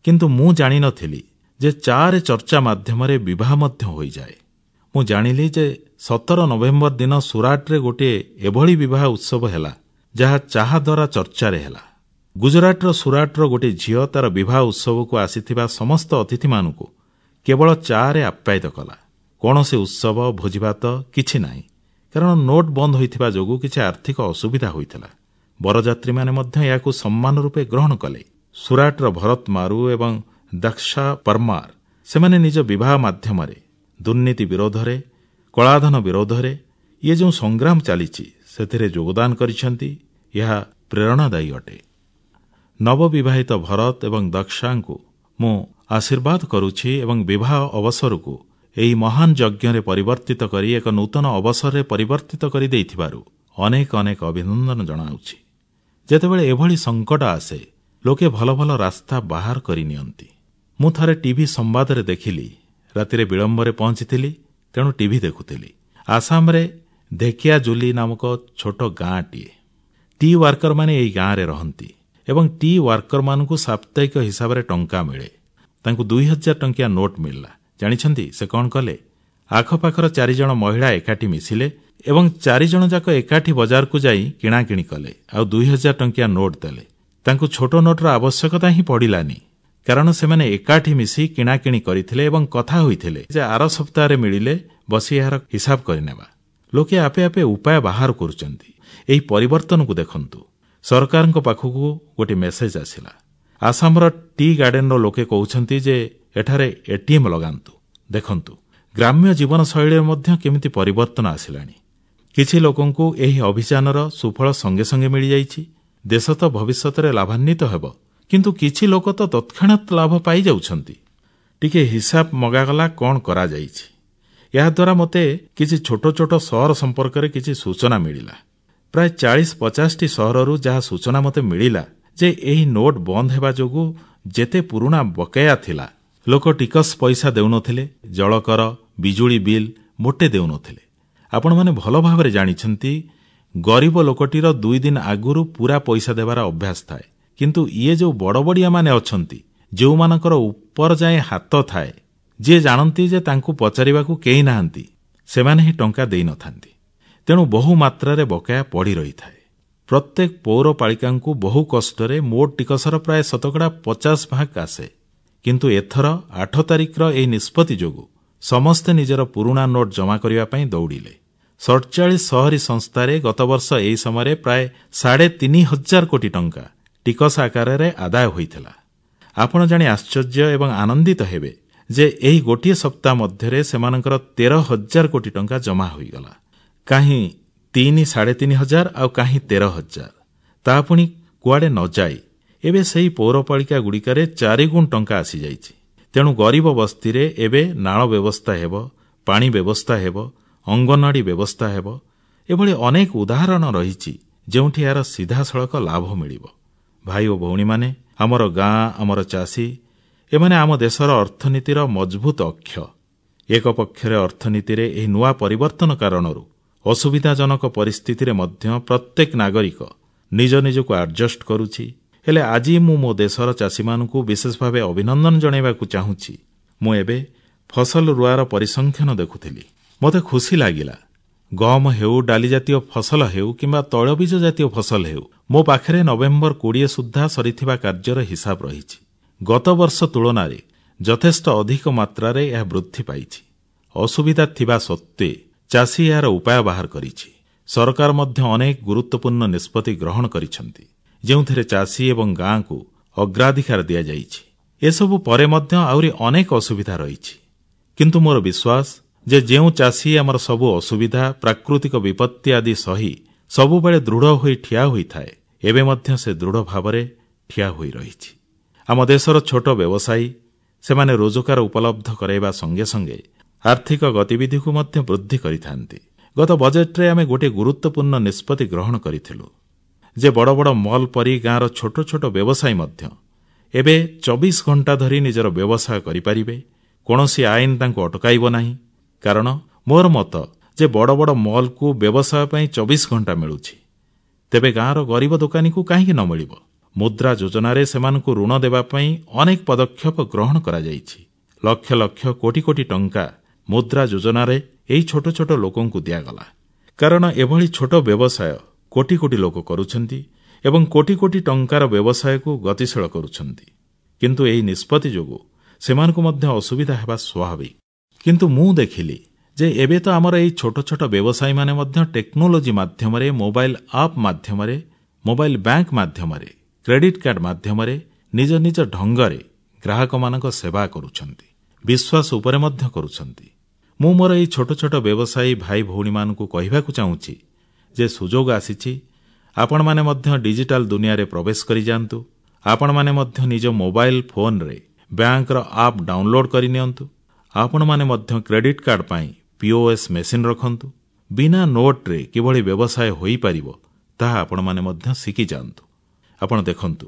କିନ୍ତୁ ମୁଁ ଜାଣିନଥିଲି ଯେ ଚାରେ ଚର୍ଚ୍ଚା ମାଧ୍ୟମରେ ବିବାହ ମଧ୍ୟ ହୋଇଯାଏ। ମୁଁ ଜାଣିଲି ଯେ 17 ନଭେମ୍ବର ଦିନ ସୁରାଟରେ ଗୋଟିଏ ଏଭଳି ବିବାହ ଉତ୍ସବ ହେଲା ଯାହା ଚାହା ଦ୍ୱାରା ଚର୍ଚ୍ଚାରେ ହେଲା। ଗୁଜରାଟର ସୁରାଟର ଗୋଟିଏ ଝିଅ ତାର ବିବାହ ଉତ୍ସବକୁ ଆସିଥିବା ସମସ୍ତ ଅତିଥିମାନଙ୍କୁ କେବଳ ଚାରେ ଆପ୍ୟାୟିତ କଲା। କୌଣସି ଉତ୍ସବ, ଭୋଜିଭାତ କିଛି ନାହିଁ, କାରଣ ନୋଟ୍ ବନ୍ଦ ହୋଇଥିବା ଯୋଗୁଁ କିଛି ଆର୍ଥିକ ଅସୁବିଧା ହୋଇଥିଲା। ବରଯାତ୍ରୀମାନେ ମଧ୍ୟ ଏହାକୁ ସମ୍ମାନ ରୂପେ ଗ୍ରହଣ କଲେ। ସୁରାଟର ଭରତ ମାରୁ ଏବଂ ଦକ୍ଷା ପରମାର ସେମାନେ ନିଜ ବିବାହ ମାଧ୍ୟମରେ ଦୁର୍ନୀତି ବିରୋଧରେ, କଳାଧନ ବିରୋଧରେ ଇଏ ଯେଉଁ ସଂଗ୍ରାମ ଚାଲିଛି ସେଥିରେ ଯୋଗଦାନ କରିଛନ୍ତି। ଏହା ପ୍ରେରଣାଦାୟୀ ଅଟେ। ନବବିବାହିତ ଭରତ ଏବଂ ଦକ୍ଷାଙ୍କୁ ମୁଁ ଆଶୀର୍ବାଦ କରୁଛି ଏବଂ ବିବାହ ଅବସରକୁ ଏହି ମହାନ ଯଜ୍ଞରେ ପରିବର୍ତ୍ତିତ କରି ଏକ ନୂତନ ଅବସରରେ ପରିବର୍ତ୍ତିତ କରିଦେଇଥିବାରୁ ଅନେକ ଅନେକ ଅଭିନନ୍ଦନ ଜଣାଉଛି। ଯେତେବେଳେ ଏଭଳି ସଙ୍କଟ ଆସେ, ଲୋକେ ଭଲ ଭଲ ରାସ୍ତା ବାହାର କରିନିଅନ୍ତି। ମୁଁ ଥରେ ଟିଭି ସମ୍ବାଦରେ ଦେଖିଲି, ରାତିରେ ବିଳମ୍ବରେ ପହଞ୍ଚିଥିଲି, ତେଣୁ ଟିଭି ଦେଖୁଥିଲି। ଆସାମରେ ଢେକିଆଜୁଲି ନାମକ ଛୋଟ ଗାଁଟିଏ। ଟି ୱାର୍କରମାନେ ଏହି ଗାଁରେ ରହନ୍ତି ଏବଂ ଟି ୱାର୍କରମାନଙ୍କୁ ସାପ୍ତାହିକ ହିସାବରେ ଟଙ୍କା ମିଳେ। ତାଙ୍କୁ 2000 ଟଙ୍କିଆ ନୋଟ୍ ମିଳିଲା। ଜାଣିଛନ୍ତି ସେ କଣ କଲେ? ଆଖପାଖର 4 ଜଣ ମହିଳା ଏକାଠି ମିଶିଲେ ଏବଂ 4 ଜଣ ଯାକ ଏକାଠି ବଜାରକୁ ଯାଇ କିଣାକିଣି କଲେ ଆଉ 2000 ଟଙ୍କିଆ ନୋଟ ଦେଲେ। ତାଙ୍କୁ ଛୋଟ ନୋଟର ଆବଶ୍ୟକତା ହିଁ ପଡ଼ିଲାନି, କାରଣ ସେମାନେ ଏକାଠି ମିଶି କିଣାକିଣି କରିଥିଲେ ଏବଂ କଥା ହୋଇଥିଲେ ଯେ ଆର ସପ୍ତାହରେ ମିଳିଲେ ବସି ଏହାର ହିସାବ କରିନେବା। ଲୋକେ ଆପେ ଆପେ ଉପାୟ ବାହାର କରୁଛନ୍ତି। ଏହି ପରିବର୍ତ୍ତନକୁ ଦେଖନ୍ତୁ। ସରକାରଙ୍କ ପାଖକୁ ଗୋଟିଏ ମେସେଜ ଆସିଲା। ଆସାମର ଟି ଗାର୍ଡେନର ଲୋକେ କହୁଛନ୍ତି ଯେ ଏଠାରେ ଏଟିଏମ୍ ଲଗାନ୍ତୁ। ଦେଖନ୍ତୁ, ଗ୍ରାମ୍ୟ ଜୀବନଶୈଳୀରେ ମଧ୍ୟ କେମିତି ପରିବର୍ତ୍ତନ ଆସିଲାଣି। କିଛି ଲୋକଙ୍କୁ ଏହି ଅଭିଯାନର ସୁଫଳ ସଙ୍ଗେ ସଙ୍ଗେ ମିଳିଯାଇଛି। ଦେଶ ତ ଭବିଷ୍ୟତରେ ଲାଭାନ୍ୱିତ ହେବ, କିନ୍ତୁ କିଛି ଲୋକ ତ ତତ୍କ୍ଷଣାତ୍ ଲାଭ ପାଇଯାଉଛନ୍ତି। ଟିକିଏ ହିସାବ ମଗାଗଲା, କଣ କରାଯାଇଛି। ଏହାଦ୍ୱାରା ମୋତେ କିଛି ଛୋଟ ଛୋଟ ସହର ସମ୍ପର୍କରେ କିଛି ସୂଚନା ମିଳିଲା। ପ୍ରାୟ 40-50ଟି ସହରରୁ ଯାହା ସୂଚନା ମୋତେ ମିଳିଲା ଯେ ଏହି ନୋଟ ବନ୍ଦ ହେବା ଯୋଗୁଁ ଯେତେ ପୁରୁଣା ବକେୟା ଥିଲା, ଲୋକ ଟିକସ ପଇସା ଦେଉନଥିଲେ, ଜଳକର, ବିଜୁଳି ବିଲ୍ ମୋଟେ ଦେଉନଥିଲେ। ଆପଣମାନେ ଭଲ ଭାବରେ ଜାଣିଛନ୍ତି, ଗରିବ ଲୋକଟିର 2 ଦିନ ଆଗରୁ ପୂରା ପଇସା ଦେବାର ଅଭ୍ୟାସ ଥାଏ। କିନ୍ତୁ ଇଏ ଯେଉଁ ବଡ଼ବଡ଼ିଆମାନେ ଅଛନ୍ତି, ଯେଉଁମାନଙ୍କର ଉପର ଯାଏଁ ହାତ ଥାଏ, ଯିଏ ଜାଣନ୍ତି ଯେ ତାଙ୍କୁ ପଚାରିବାକୁ କେହି ନାହାନ୍ତି, ସେମାନେ ହିଁ ଟଙ୍କା ଦେଇନଥାନ୍ତି। ତେଣୁ ବହୁ ମାତ୍ରାରେ ବକେୟା ପଡ଼ି ରହିଥାଏ। ପ୍ରତ୍ୟେକ ପୌରପାଳିକାଙ୍କୁ ବହୁ କଷ୍ଟରେ ମୋଟ ଟିକସର ପ୍ରାୟ ଶତକଡ଼ା 50 ଭାଗ ଆସେ। କିନ୍ତୁ ଏଥର 8 ତାରିଖର ଏହି ନିଷ୍ପତ୍ତି ଯୋଗୁଁ ସମସ୍ତେ ନିଜର ପୁରୁଣା ନୋଟ ଜମା କରିବା ପାଇଁ ଦୌଡ଼ିଲେ। 47 ସହରୀ ସଂସ୍ଥାରେ ଗତବର୍ଷ ଏହି ସମୟରେ ପ୍ରାୟ 3,500 କୋଟି ଟଙ୍କା ଟିକସ ଆକାରରେ ଆଦାୟ ହୋଇଥିଲା। ଆପଣ ଜାଣି ଆଶ୍ଚର୍ଯ୍ୟ ଏବଂ ଆନନ୍ଦିତ ହେବେ ଯେ ଏହି ଗୋଟିଏ ସପ୍ତାହ ମଧ୍ୟରେ ସେମାନଙ୍କର 13,000 କୋଟି ଟଙ୍କା ଜମା ହୋଇଗଲା। କାହିଁ ତିନି 3,500 ଆଉ କାହିଁ 13,000, ତାହା ପୁଣି କୁଆଡ଼େ ନ ଯାଇ ଏବେ ସେହି ପୌରପାଳିକାଗୁଡ଼ିକରେ ଚାରିଗୁଣ ଟଙ୍କା ଆସିଯାଇଛି। ତେଣୁ ଗରିବ ବସ୍ତିରେ ଏବେ ନାଳ ବ୍ୟବସ୍ଥା ହେବ, ପାଣି ବ୍ୟବସ୍ଥା ହେବ, ଅଙ୍ଗନୱାଡ଼ି ବ୍ୟବସ୍ଥା ହେବ। ଏଭଳି ଅନେକ ଉଦାହରଣ ରହିଛି, ଯେଉଁଠି ଏହାର ସିଧାସଳଖ ଲାଭ ମିଳିବ। ଭାଇ ଓ ଭଉଣୀମାନେ, ଆମର ଗାଁ, ଆମର ଚାଷୀ, ଏମାନେ ଆମ ଦେଶର ଅର୍ଥନୀତିର ମଜଭୁତ ଅକ୍ଷ। ଏକ ପକ୍ଷରେ ଅର୍ଥନୀତିରେ ଏହି ନୂଆ ପରିବର୍ତ୍ତନ କାରଣରୁ ଅସୁବିଧାଜନକ ପରିସ୍ଥିତିରେ ମଧ୍ୟ ପ୍ରତ୍ୟେକ ନାଗରିକ ନିଜ ନିଜକୁ ଆଡଜଷ୍ଟ କରୁଛି, ହେଲେ ଆଜି ମୁଁ ମୋ ଦେଶର ଚାଷୀମାନଙ୍କୁ ବିଶେଷ ଭାବେ ଅଭିନନ୍ଦନ ଜଣାଇବାକୁ ଚାହୁଁଛି। ମୁଁ ଏବେ ଫସଲ ରୁଆର ପରିସଂଖ୍ୟାନ ଦେଖୁଥିଲି। ମୋତେ ଖୁସି ଲାଗିଲା। ଗହମ ହେଉ, ଡାଲିଜାତୀୟ ଫସଲ ହେଉ କିମ୍ବା ତୈଳବୀଜ ଜାତୀୟ ଫସଲ ହେଉ, ମୋ ପାଖରେ ନଭେମ୍ବର 20 ସୁଦ୍ଧା ସରିଥିବା କାର୍ଯ୍ୟର ହିସାବ ରହିଛି। ଗତବର୍ଷ ତୁଳନାରେ ଯଥେଷ୍ଟ ଅଧିକ ମାତ୍ରାରେ ଏହା ବୃଦ୍ଧି ପାଇଛି। ଅସୁବିଧା ଥିବା ସତ୍ତ୍ୱେ ଚାଷୀ ଏହାର ଉପାୟ ବାହାର କରିଛି। ସରକାର ମଧ୍ୟ ଅନେକ ଗୁରୁତ୍ୱପୂର୍ଣ୍ଣ ନିଷ୍ପତ୍ତି ଗ୍ରହଣ କରିଛନ୍ତି, ଯେଉଁଥିରେ ଚାଷୀ ଏବଂ ଗାଁକୁ ଅଗ୍ରାଧିକାର ଦିଆଯାଇଛି। ଏସବୁ ପରେ ମଧ୍ୟ ଆହୁରି ଅନେକ ଅସୁବିଧା ରହିଛି। କିନ୍ତୁ ମୋର ବିଶ୍ୱାସ ଯେ ଯେଉଁ ଚାଷୀ ଆମର ସବୁ ଅସୁବିଧା, ପ୍ରାକୃତିକ ବିପତ୍ତି ଆଦି ସହି ସବୁବେଳେ ଦୃଢ଼ ହୋଇ ଠିଆ ହୋଇଥାଏ, ଏବେ ମଧ୍ୟ ସେ ଦୃଢ଼ ଭାବରେ ଠିଆ ହୋଇ ରହିଛି। ଆମ ଦେଶର ଛୋଟ ବ୍ୟବସାୟୀ, ସେମାନେ ରୋଜଗାର ଉପଲବ୍ଧ କରାଇବା ସଙ୍ଗେ ସଙ୍ଗେ ଆର୍ଥିକ ଗତିବିଧିକୁ ମଧ୍ୟ ବୃଦ୍ଧି କରିଥାନ୍ତି। ଗତ ବଜେଟରେ ଆମେ ଗୋଟିଏ ଗୁରୁତ୍ୱପୂର୍ଣ୍ଣ ନିଷ୍ପତ୍ତି ଗ୍ରହଣ କରିଥିଲୁ ଯେ ବଡ଼ ବଡ଼ ମଲ୍ ପରି ଗାଁର ଛୋଟ ଛୋଟ ବ୍ୟବସାୟୀ ମଧ୍ୟ ଏବେ 24 ଘଣ୍ଟା ଧରି ନିଜର ବ୍ୟବସାୟ କରିପାରିବେ। କୌଣସି ଆଇନ ତାଙ୍କୁ ଅଟକାଇବ ନାହିଁ। କାରଣ ମୋର ମତ ଯେ ବଡ଼ ବଡ଼ ମଲ୍କୁ ବ୍ୟବସାୟ ପାଇଁ 24 ଘଣ୍ଟା ମିଳୁଛି, ତେବେ ଗାଁର ଗରିବ ଦୋକାନୀକୁ କାହିଁକି ନ ମିଳିବ? ମୁଦ୍ରା ଯୋଜନାରେ ସେମାନଙ୍କୁ ଋଣ ଦେବା ପାଇଁ ଅନେକ ପଦକ୍ଷେପ ଗ୍ରହଣ କରାଯାଇଛି। ଲକ୍ଷ ଲକ୍ଷ କୋଟି କୋଟି ଟଙ୍କା ମୁଦ୍ରା ଯୋଜନାରେ ଏହି ଛୋଟ ଛୋଟ ଲୋକଙ୍କୁ ଦିଆଗଲା, କାରଣ ଏଭଳି ଛୋଟ ବ୍ୟବସାୟ କୋଟି କୋଟି ଲୋକ କରୁଛନ୍ତି ଏବଂ କୋଟି କୋଟି ଟଙ୍କାର ବ୍ୟବସାୟକୁ ଗତିଶୀଳ କରୁଛନ୍ତି। କିନ୍ତୁ ଏହି ନିଷ୍ପତ୍ତି ଯୋଗୁଁ ସେମାନଙ୍କୁ ମଧ୍ୟ ଅସୁବିଧା ହେବା ସ୍ୱାଭାବିକ। କିନ୍ତୁ ମୁଁ ଦେଖିଲି ଯେ ଏବେ ତ ଆମର ଏହି ଛୋଟ ଛୋଟ ବ୍ୟବସାୟୀମାନେ ମଧ୍ୟ ଟେକ୍ନୋଲୋଜି ମାଧ୍ୟମରେ, ମୋବାଇଲ ଆପ୍ ମାଧ୍ୟମରେ, ମୋବାଇଲ ବ୍ୟାଙ୍କ ମାଧ୍ୟମରେ, କ୍ରେଡିଟ୍ କାର୍ଡ ମାଧ୍ୟମରେ ନିଜ ନିଜ ଢଙ୍ଗରେ ଗ୍ରାହକମାନଙ୍କ ସେବା କରୁଛନ୍ତି, ବିଶ୍ୱାସ ଉପରେ ମଧ୍ୟ କରୁଛନ୍ତି। ମୁଁ ମୋର ଏହି ଛୋଟ ଛୋଟ ବ୍ୟବସାୟୀ ଭାଇ ଭଉଣୀମାନଙ୍କୁ କହିବାକୁ ଚାହୁଁଛି ଯେ ସୁଯୋଗ ଆସିଛି, ଆପଣମାନେ ମଧ୍ୟ ଡିଜିଟାଲ ଦୁନିଆରେ ପ୍ରବେଶ କରିଯାଆନ୍ତୁ। ଆପଣମାନେ ମଧ୍ୟ ନିଜ ମୋବାଇଲ ଫୋନରେ ବ୍ୟାଙ୍କର ଆପ୍ ଡାଉନଲୋଡ୍ କରିନିଅନ୍ତୁ। ଆପଣମାନେ ମଧ୍ୟ କ୍ରେଡିଟ୍ କାର୍ଡ ପାଇଁ ପିଓଏସ୍ ମେସିନ୍ ରଖନ୍ତୁ। ବିନା ନୋଟରେ କିଭଳି ବ୍ୟବସାୟ ହୋଇପାରିବ, ତାହା ଆପଣମାନେ ମଧ୍ୟ ଶିଖିଯାଆନ୍ତୁ। ଆପଣ ଦେଖନ୍ତୁ,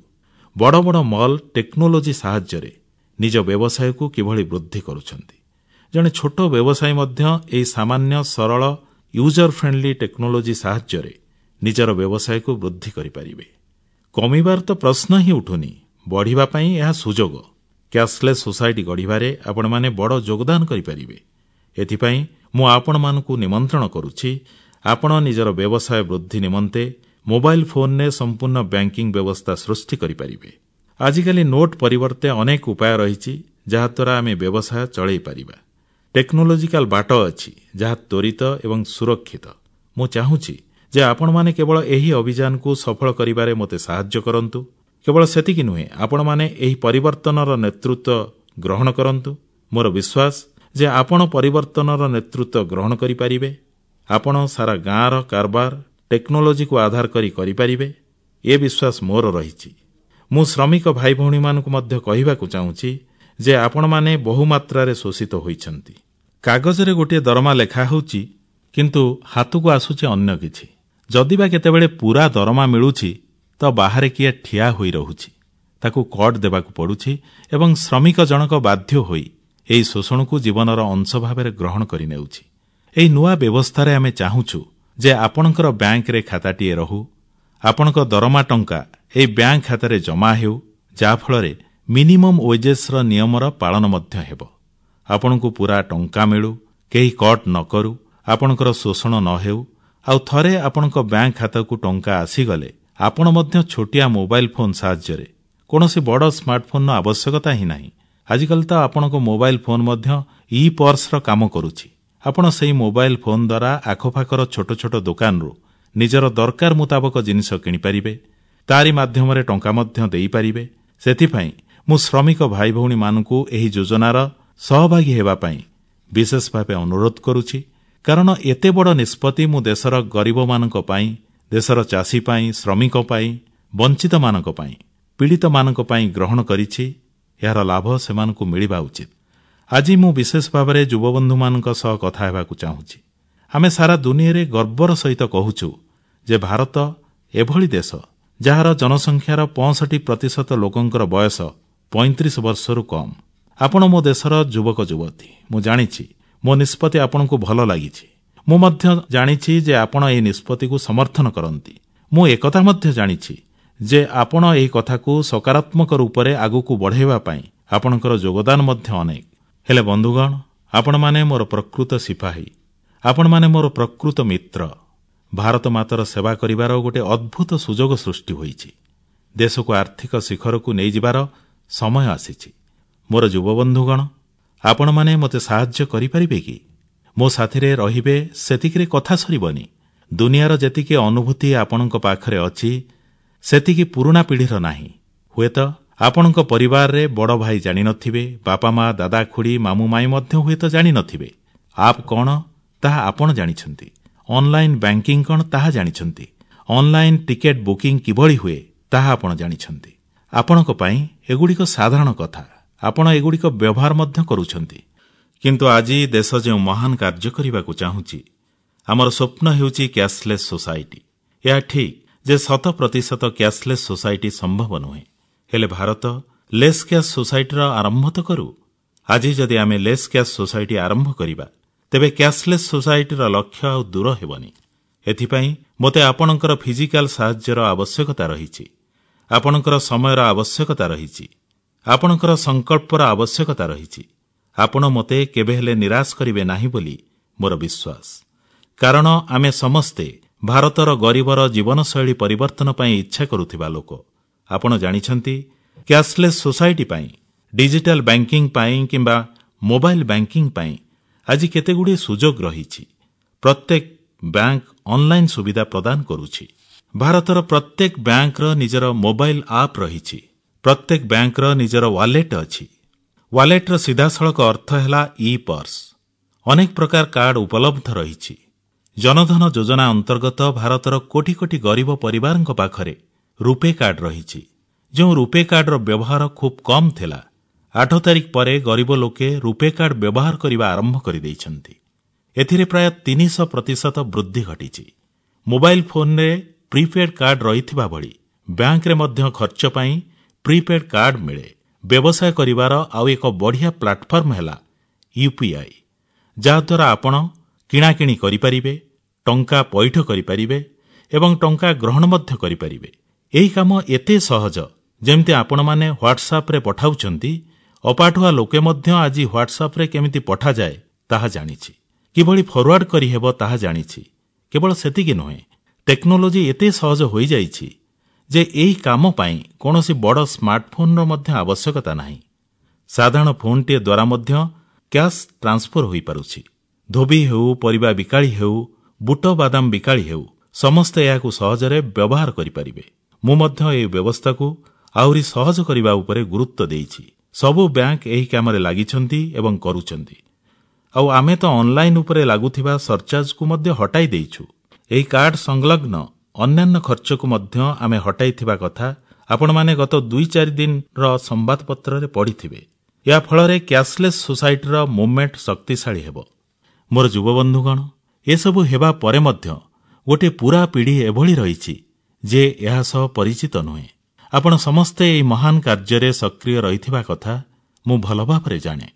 ବଡ଼ ବଡ଼ ମଲ୍ ଟେକ୍ନୋଲୋଜି ସାହାଯ୍ୟରେ ନିଜ ବ୍ୟବସାୟକୁ କିଭଳି ବୃଦ୍ଧି କରୁଛନ୍ତି। ଜଣେ ଛୋଟ ବ୍ୟବସାୟୀ ମଧ୍ୟ ଏହି ସାମାନ୍ୟ ସରଳ ୟୁଜର ଫ୍ରେଣ୍ଡଲି ଟେକ୍ନୋଲୋଜି ସାହାଯ୍ୟରେ ନିଜର ବ୍ୟବସାୟକୁ ବୃଦ୍ଧି କରିପାରିବେ। କମିବାର ତ ପ୍ରଶ୍ନ ହିଁ ଉଠୁନି, ବଢ଼ିବା ପାଇଁ ଏହା ସୁଯୋଗ। କ୍ୟାଶଲେସ୍ ସୋସାଇଟି ଗଢ଼ିବାରେ ଆପଣମାନେ ବଡ଼ ଯୋଗଦାନ କରିପାରିବେ। ଏଥିପାଇଁ ମୁଁ ଆପଣମାନଙ୍କୁ ନିମନ୍ତ୍ରଣ କରୁଛି। ଆପଣ ନିଜର ବ୍ୟବସାୟ ବୃଦ୍ଧି ନିମନ୍ତେ ମୋବାଇଲ ଫୋନରେ ସମ୍ପୂର୍ଣ୍ଣ ବ୍ୟାଙ୍କିଂ ବ୍ୟବସ୍ଥା ସୃଷ୍ଟି କରିପାରିବେ। ଆଜିକାଲି ନୋଟ ପରିବର୍ତ୍ତେ ଅନେକ ଉପାୟ ରହିଛି ଯାହାଦ୍ୱାରା ଆମେ ବ୍ୟବସାୟ ଚଳାଇ ପାରିବା। ଟେକ୍ନୋଲୋଜିକାଲ ବାଟ ଅଛି ଯାହା ତ୍ୱରିତ ଏବଂ ସୁରକ୍ଷିତ। ମୁଁ ଚାହୁଁଛି ଯେ ଆପଣମାନେ କେବଳ ଏହି ଅଭିଯାନକୁ ସଫଳ କରିବାରେ ମୋତେ ସାହାଯ୍ୟ କରନ୍ତୁ। କେବଳ ସେତିକି ନୁହେଁ, ଆପଣମାନେ ଏହି ପରିବର୍ତ୍ତନର ନେତୃତ୍ୱ ଗ୍ରହଣ କରନ୍ତୁ। ମୋର ବିଶ୍ୱାସ ଯେ ଆପଣ ପରିବର୍ତ୍ତନର ନେତୃତ୍ୱ ଗ୍ରହଣ କରିପାରିବେ। ଆପଣ ସାରା ଗାଁର କାରବାର ଟେକ୍ନୋଲୋଜିକୁ ଆଧାର କରି କରିପାରିବେ, ଏ ବିଶ୍ୱାସ ମୋର ରହିଛି। ମୁଁ ଶ୍ରମିକ ଭାଇଭଉଣୀମାନଙ୍କୁ ମଧ୍ୟ କହିବାକୁ ଚାହୁଁଛି ଯେ ଆପଣମାନେ ବହୁମାତ୍ରାରେ ଶୋଷିତ ହୋଇଛନ୍ତି। କାଗଜରେ ଗୋଟିଏ ଦରମା ଲେଖା ହେଉଛି, କିନ୍ତୁ ହାତକୁ ଆସୁଛି ଅନ୍ୟ କିଛି। ଯଦି ବା କେତେବେଳେ ପୂରା ଦରମା ମିଳୁଛି ତ ବାହାରେ କିଏ ଠିଆ ହୋଇ ରହୁଛି, ତାକୁ କଟ୍ ଦେବାକୁ ପଡ଼ୁଛି ଏବଂ ଶ୍ରମିକ ଜଣକ ବାଧ୍ୟ ହୋଇ ଏହି ଶୋଷଣକୁ ଜୀବନର ଅଂଶ ଭାବରେ ଗ୍ରହଣ କରିନେଉଛି। ଏହି ନୂଆ ବ୍ୟବସ୍ଥାରେ ଆମେ ଚାହୁଁଛୁ ଯେ ଆପଣଙ୍କର ବ୍ୟାଙ୍କରେ ଖାତାଟିଏ ରହୁ, ଆପଣଙ୍କ ଦରମା ଟଙ୍କା ଏହି ବ୍ୟାଙ୍କ ଖାତାରେ ଜମା ହେଉ, ଯାହାଫଳରେ ମିନିମମ୍ ୱେଜେସ୍ର ନିୟମର ପାଳନ ମଧ୍ୟ ହେବ। ଆପଣଙ୍କୁ ପୂରା ଟଙ୍କା ମିଳୁ, କେହି କଟ୍ ନ କରୁ, ଆପଣଙ୍କର ଶୋଷଣ ନ ହେଉ। ଆଉ ଥରେ ଆପଣଙ୍କ ବ୍ୟାଙ୍କ ଖାତାକୁ ଟଙ୍କା ଆସିଗଲେ ଆପଣ ମଧ୍ୟ ଛୋଟିଆ ମୋବାଇଲ ଫୋନ୍ ସାହାଯ୍ୟରେ, କୌଣସି ବଡ଼ ସ୍ମାର୍ଟଫୋନ୍ର ଆବଶ୍ୟକତା ହିଁ ନାହିଁ। ଆଜିକାଲି ତ ଆପଣଙ୍କ ମୋବାଇଲ ଫୋନ୍ ମଧ୍ୟ ଇ-ପର୍ସର କାମ କରୁଛି। ଆପଣ ସେହି ମୋବାଇଲ ଫୋନ୍ ଦ୍ୱାରା ଆଖପାଖର ଛୋଟ ଛୋଟ ଦୋକାନରୁ ନିଜର ଦରକାର ମୁତାବକ ଜିନିଷ କିଣିପାରିବେ, ତାରି ମାଧ୍ୟମରେ ଟଙ୍କା ମଧ୍ୟ ଦେଇପାରିବେ। ସେଥିପାଇଁ ମୁଁ ଶ୍ରମିକ ଭାଇଭଉଣୀମାନଙ୍କୁ ଏହି ଯୋଜନାର ସହଭାଗୀ ହେବା ପାଇଁ ବିଶେଷ ଭାବେ ଅନୁରୋଧ କରୁଛି, କାରଣ ଏତେ ବଡ଼ ନିଷ୍ପତ୍ତି ମୁଁ ଦେଶର ଗରିବମାନଙ୍କ ପାଇଁ, ଦେଶର ଚାଷୀ ପାଇଁ, ଶ୍ରମିକ ପାଇଁ, ବଞ୍ଚିତମାନଙ୍କ ପାଇଁ, ପୀଡ଼ିତମାନଙ୍କ ପାଇଁ ଗ୍ରହଣ କରିଛି। ଏହାର ଲାଭ ସେମାନଙ୍କୁ ମିଳିବା ଉଚିତ। ଆଜି ମୁଁ ବିଶେଷ ଭାବରେ ଯୁବବନ୍ଧୁମାନଙ୍କ ସହ କଥା ହେବାକୁ ଚାହୁଁଛି। ଆମେ ସାରା ଦୁନିଆରେ ଗର୍ବର ସହିତ କହୁଛୁ ଯେ ଭାରତ ଏଭଳି ଦେଶ ଯାହାର ଜନସଂଖ୍ୟାର 65% ଲୋକଙ୍କର ବୟସ 35 ବର୍ଷରୁ କମ୍। ଆପଣ ମୋ ଦେଶର ଯୁବକ ଯୁବତୀ। ମୁଁ ଜାଣିଛି ମୋ ନିଷ୍ପତ୍ତି ଆପଣଙ୍କୁ ଭଲ ଲାଗିଛି। ମୁଁ ମଧ୍ୟ ଜାଣିଛି ଯେ ଆପଣ ଏହି ନିଷ୍ପତ୍ତିକୁ ସମର୍ଥନ କରନ୍ତି। ମୁଁ ଏକଥା ମଧ୍ୟ ଜାଣିଛି ଯେ ଆପଣ ଏହି କଥାକୁ ସକାରାତ୍ମକ ରୂପରେ ଆଗକୁ ବଢ଼ାଇବା ପାଇଁ ଆପଣଙ୍କର ଯୋଗଦାନ ମଧ୍ୟ ଅନେକ। ହେଲେ ବନ୍ଧୁଗଣ, ଆପଣମାନେ ମୋର ପ୍ରକୃତ ସିପାହୀ, ଆପଣମାନେ ମୋର ପ୍ରକୃତ ମିତ୍ର। ଭାରତ ମାତାର ସେବା କରିବାର ଗୋଟିଏ ଅଦ୍ଭୁତ ସୁଯୋଗ ସୃଷ୍ଟି ହୋଇଛି। ଦେଶକୁ ଆର୍ଥିକ ଶିଖରକୁ ନେଇଯିବାର ସମୟ ଆସିଛି। ମୋର ଯୁବବନ୍ଧୁଗଣ, ଆପଣମାନେ ମୋତେ ସାହାଯ୍ୟ କରିପାରିବେ କି? ମୋ ସାଥିରେ ରହିବେ ସେତିକିରେ କଥା ସରିବନି। ଦୁନିଆର ଯେତିକି ଅନୁଭୂତି ଆପଣଙ୍କ ପାଖରେ ଅଛି, ସେତିକି ପୁରୁଣା ପିଢ଼ିର ନାହିଁ। ହୁଏତ ଆପଣଙ୍କ ପରିବାରରେ ବଡ଼ ଭାଇ ଜାଣିନଥିବେ, ବାପା ମା, ଦାଦା ଖୁଡ଼ୀ, ମାମୁଁ ମାଇଁ ମଧ୍ୟ ହୁଏତ ଜାଣିନଥିବେ। ଆପ୍ କଣ ତାହା ଆପଣ ଜାଣିଛନ୍ତି। ଅନଲାଇନ୍ ବ୍ୟାଙ୍କିଂ କଣ ତାହା ଜାଣିଛନ୍ତି। ଅନଲାଇନ୍ ଟିକେଟ୍ ବୁକିଂ କିଭଳି ହୁଏ ତାହା ଆପଣ ଜାଣିଛନ୍ତି। ଆପଣଙ୍କ ପାଇଁ ଏଗୁଡ଼ିକ ସାଧାରଣ କଥା। ଆପଣ ଏଗୁଡ଼ିକ ବ୍ୟବହାର ମଧ୍ୟ କରୁଛନ୍ତି। କିନ୍ତୁ ଆଜି ଦେଶ ଯେଉଁ ମହାନ କାର୍ଯ୍ୟ କରିବାକୁ ଚାହୁଁଛି, ଆମର ସ୍ୱପ୍ନ ହେଉଛି କ୍ୟାଶଲେସ୍ ସୋସାଇଟି। ଏହା ଠିକ୍ ଯେ 100% କ୍ୟାଶଲେସ୍ ସୋସାଇଟି ସମ୍ଭବ ନୁହେଁ, ହେଲେ ଭାରତ ଲେସ୍ କ୍ୟାଶ୍ ସୋସାଇଟିର ଆରମ୍ଭ ତ କରୁ। ଆଜି ଯଦି ଆମେ ଲେସ୍ କ୍ୟାଶ୍ ସୋସାଇଟି ଆରମ୍ଭ କରିବା, ତେବେ କ୍ୟାଶଲେସ୍ ସୋସାଇଟିର ଲକ୍ଷ୍ୟ ଆଉ ଦୂର ହେବନି। ଏଥିପାଇଁ ମୋତେ ଆପଣଙ୍କର ଫିଜିକାଲ ସାହାଯ୍ୟର ଆବଶ୍ୟକତା ରହିଛି, ଆପଣଙ୍କର ସମୟର ଆବଶ୍ୟକତା ରହିଛି, ଆପଣଙ୍କର ସଂକଳ୍ପର ଆବଶ୍ୟକତା ରହିଛି। ଆପଣ ମୋତେ କେବେ ହେଲେ ନିରାଶ କରିବେ ନାହିଁ ବୋଲି ମୋର ବିଶ୍ୱାସ, କାରଣ ଆମେ ସମସ୍ତେ ଭାରତର ଗରିବର ଜୀବନଶୈଳୀ ପରିବର୍ତ୍ତନ ପାଇଁ ଇଚ୍ଛା କରୁଥିବା ଲୋକ। ଆପଣ ଜାଣିଛନ୍ତି, କ୍ୟାଶଲେସ୍ ସୋସାଇଟି ପାଇଁ, ଡିଜିଟାଲ ବ୍ୟାଙ୍କିଂ ପାଇଁ କିମ୍ବା ମୋବାଇଲ ବ୍ୟାଙ୍କିଂ ପାଇଁ ଆଜି କେତେଗୁଡ଼ିଏ ସୁଯୋଗ ରହିଛି। ପ୍ରତ୍ୟେକ ବ୍ୟାଙ୍କ ଅନଲାଇନ୍ ସୁବିଧା ପ୍ରଦାନ କରୁଛି। ଭାରତର ପ୍ରତ୍ୟେକ ବ୍ୟାଙ୍କର ନିଜର ମୋବାଇଲ ଆପ୍ ରହିଛି। ପ୍ରତ୍ୟେକ ବ୍ୟାଙ୍କର ନିଜର ୱାଲେଟ୍ ଅଛି। ୱାଲେଟ୍ର ସିଧାସଳଖ ଅର୍ଥ ହେଲା ଇ-ପର୍ସ। ଅନେକ ପ୍ରକାର କାର୍ଡ ଉପଲବ୍ଧ ରହିଛି। ଜନଧନ ଯୋଜନା ଅନ୍ତର୍ଗତ ଭାରତର କୋଟି କୋଟି ଗରିବ ପରିବାରଙ୍କ ପାଖରେ ରୂପେ କାର୍ଡ ରହିଛି। ଯେଉଁ ରୂପେ କାର୍ଡର ବ୍ୟବହାର ଖୁବ୍ କମ୍ ଥିଲା, 8 ତାରିଖ ପରେ ଗରିବ ଲୋକେ ରୂପେ କାର୍ଡ ବ୍ୟବହାର କରିବା ଆରମ୍ଭ କରିଦେଇଛନ୍ତି। ଏଥିରେ ପ୍ରାୟ 300% ବୃଦ୍ଧି ଘଟିଛି। ମୋବାଇଲ ଫୋନରେ ପ୍ରିପେଡ୍ କାର୍ଡ ରହିଥିବା ଭଳି ବ୍ୟାଙ୍କରେ ମଧ୍ୟ ଖର୍ଚ୍ଚ ପାଇଁ ପ୍ରିପେଡ୍ କାର୍ଡ ମିଳେ। ବ୍ୟବସାୟ କରିବାର ଆଉ ଏକ ବଢ଼ିଆ ପ୍ଲାଟଫର୍ମ ହେଲା ୟୁପିଆଇ, ଯାହାଦ୍ୱାରା ଆପଣ କିଣାକିଣି କରିପାରିବେ, ଟଙ୍କା ପଇଠ କରିପାରିବେ ଏବଂ ଟଙ୍କା ଗ୍ରହଣ ମଧ୍ୟ କରିପାରିବେ। ଏହି କାମ ଏତେ ସହଜ, ଯେମିତି ଆପଣମାନେ ହ୍ୱାଟ୍ସଆପ୍ରେ ପଠାଉଛନ୍ତି, ଅପାଠୁଆ ଲୋକେ ମଧ୍ୟ ଆଜି ହ୍ୱାଟ୍ସଆପ୍ରେ କେମିତି ପଠାଯାଏ ତାହା ଜାଣିଛି, କିଭଳି ଫରୱାର୍ଡ କରିହେବ ତାହା ଜାଣିଛି, କେବଳ ସେତିକି ନୁହେଁ, ଟେକ୍ନୋଲୋଜି ଏତେ ସହଜ ହୋଇଯାଇଛି ଯେ ଏହି କାମ ପାଇଁ କୌଣସି ବଡ଼ ସ୍ମାର୍ଟଫୋନର ମଧ୍ୟ ଆବଶ୍ୟକତା ନାହିଁ। ସାଧାରଣ ଫୋନଟିଏ ଦ୍ୱାରା ମଧ୍ୟ କ୍ୟାଶ୍ ଟ୍ରାନ୍ସଫର ହୋଇପାରୁଛି। ଧୋବି ହେଉ, ପରିବା ବିକାଳି ହେଉ, ବୁଟ ବାଦାମ ବିକାଳି ହେଉ, ସମସ୍ତେ ଏହାକୁ ସହଜରେ ବ୍ୟବହାର କରିପାରିବେ। ମୁଁ ମଧ୍ୟ ଏହି ବ୍ୟବସ୍ଥାକୁ ଆହୁରି ସହଜ କରିବା ଉପରେ ଗୁରୁତ୍ୱ ଦେଇଛି। ସବୁ ବ୍ୟାଙ୍କ ଏହି କାମରେ ଲାଗିଛନ୍ତି ଏବଂ କରୁଛନ୍ତି। ଆଉ ଆମେ ତ ଅନଲାଇନ ଉପରେ ଲାଗୁଥିବା ସରଚାର୍ଜକୁ ମଧ୍ୟ ହଟାଇ ଦେଇଛୁ। ଏହି କାର୍ଡ ସଂଲଗ୍ନ ଅନ୍ୟାନ୍ୟ ଖର୍ଚ୍ଚକୁ ମଧ୍ୟ ଆମେ ହଟାଇଥିବା କଥା ଆପଣମାନେ ଗତ 2-4 ଦିନର ସମ୍ବାଦପତ୍ରରେ ପଢ଼ିଥିବେ। ଏହା ଫଳରେ କ୍ୟାଶଲେସ୍ ସୋସାଇଟିର ମୁଭମେଣ୍ଟ ଶକ୍ତିଶାଳୀ ହେବ। ମୋର ଯୁବବନ୍ଧୁଗଣ, ଏସବୁ ହେବା ପରେ ମଧ୍ୟ ଗୋଟିଏ ପୂରା ପିଢ଼ି ଏଭଳି ରହିଛି ଯେ ଏହା ସହ ପରିଚିତ ନୁହେଁ। ଆପଣ ସମସ୍ତେ ଏହି ମହାନ କାର୍ଯ୍ୟରେ ସକ୍ରିୟ ରହିଥିବା କଥା ମୁଁ ଭଲ ଭାବରେ ଜାଣେ।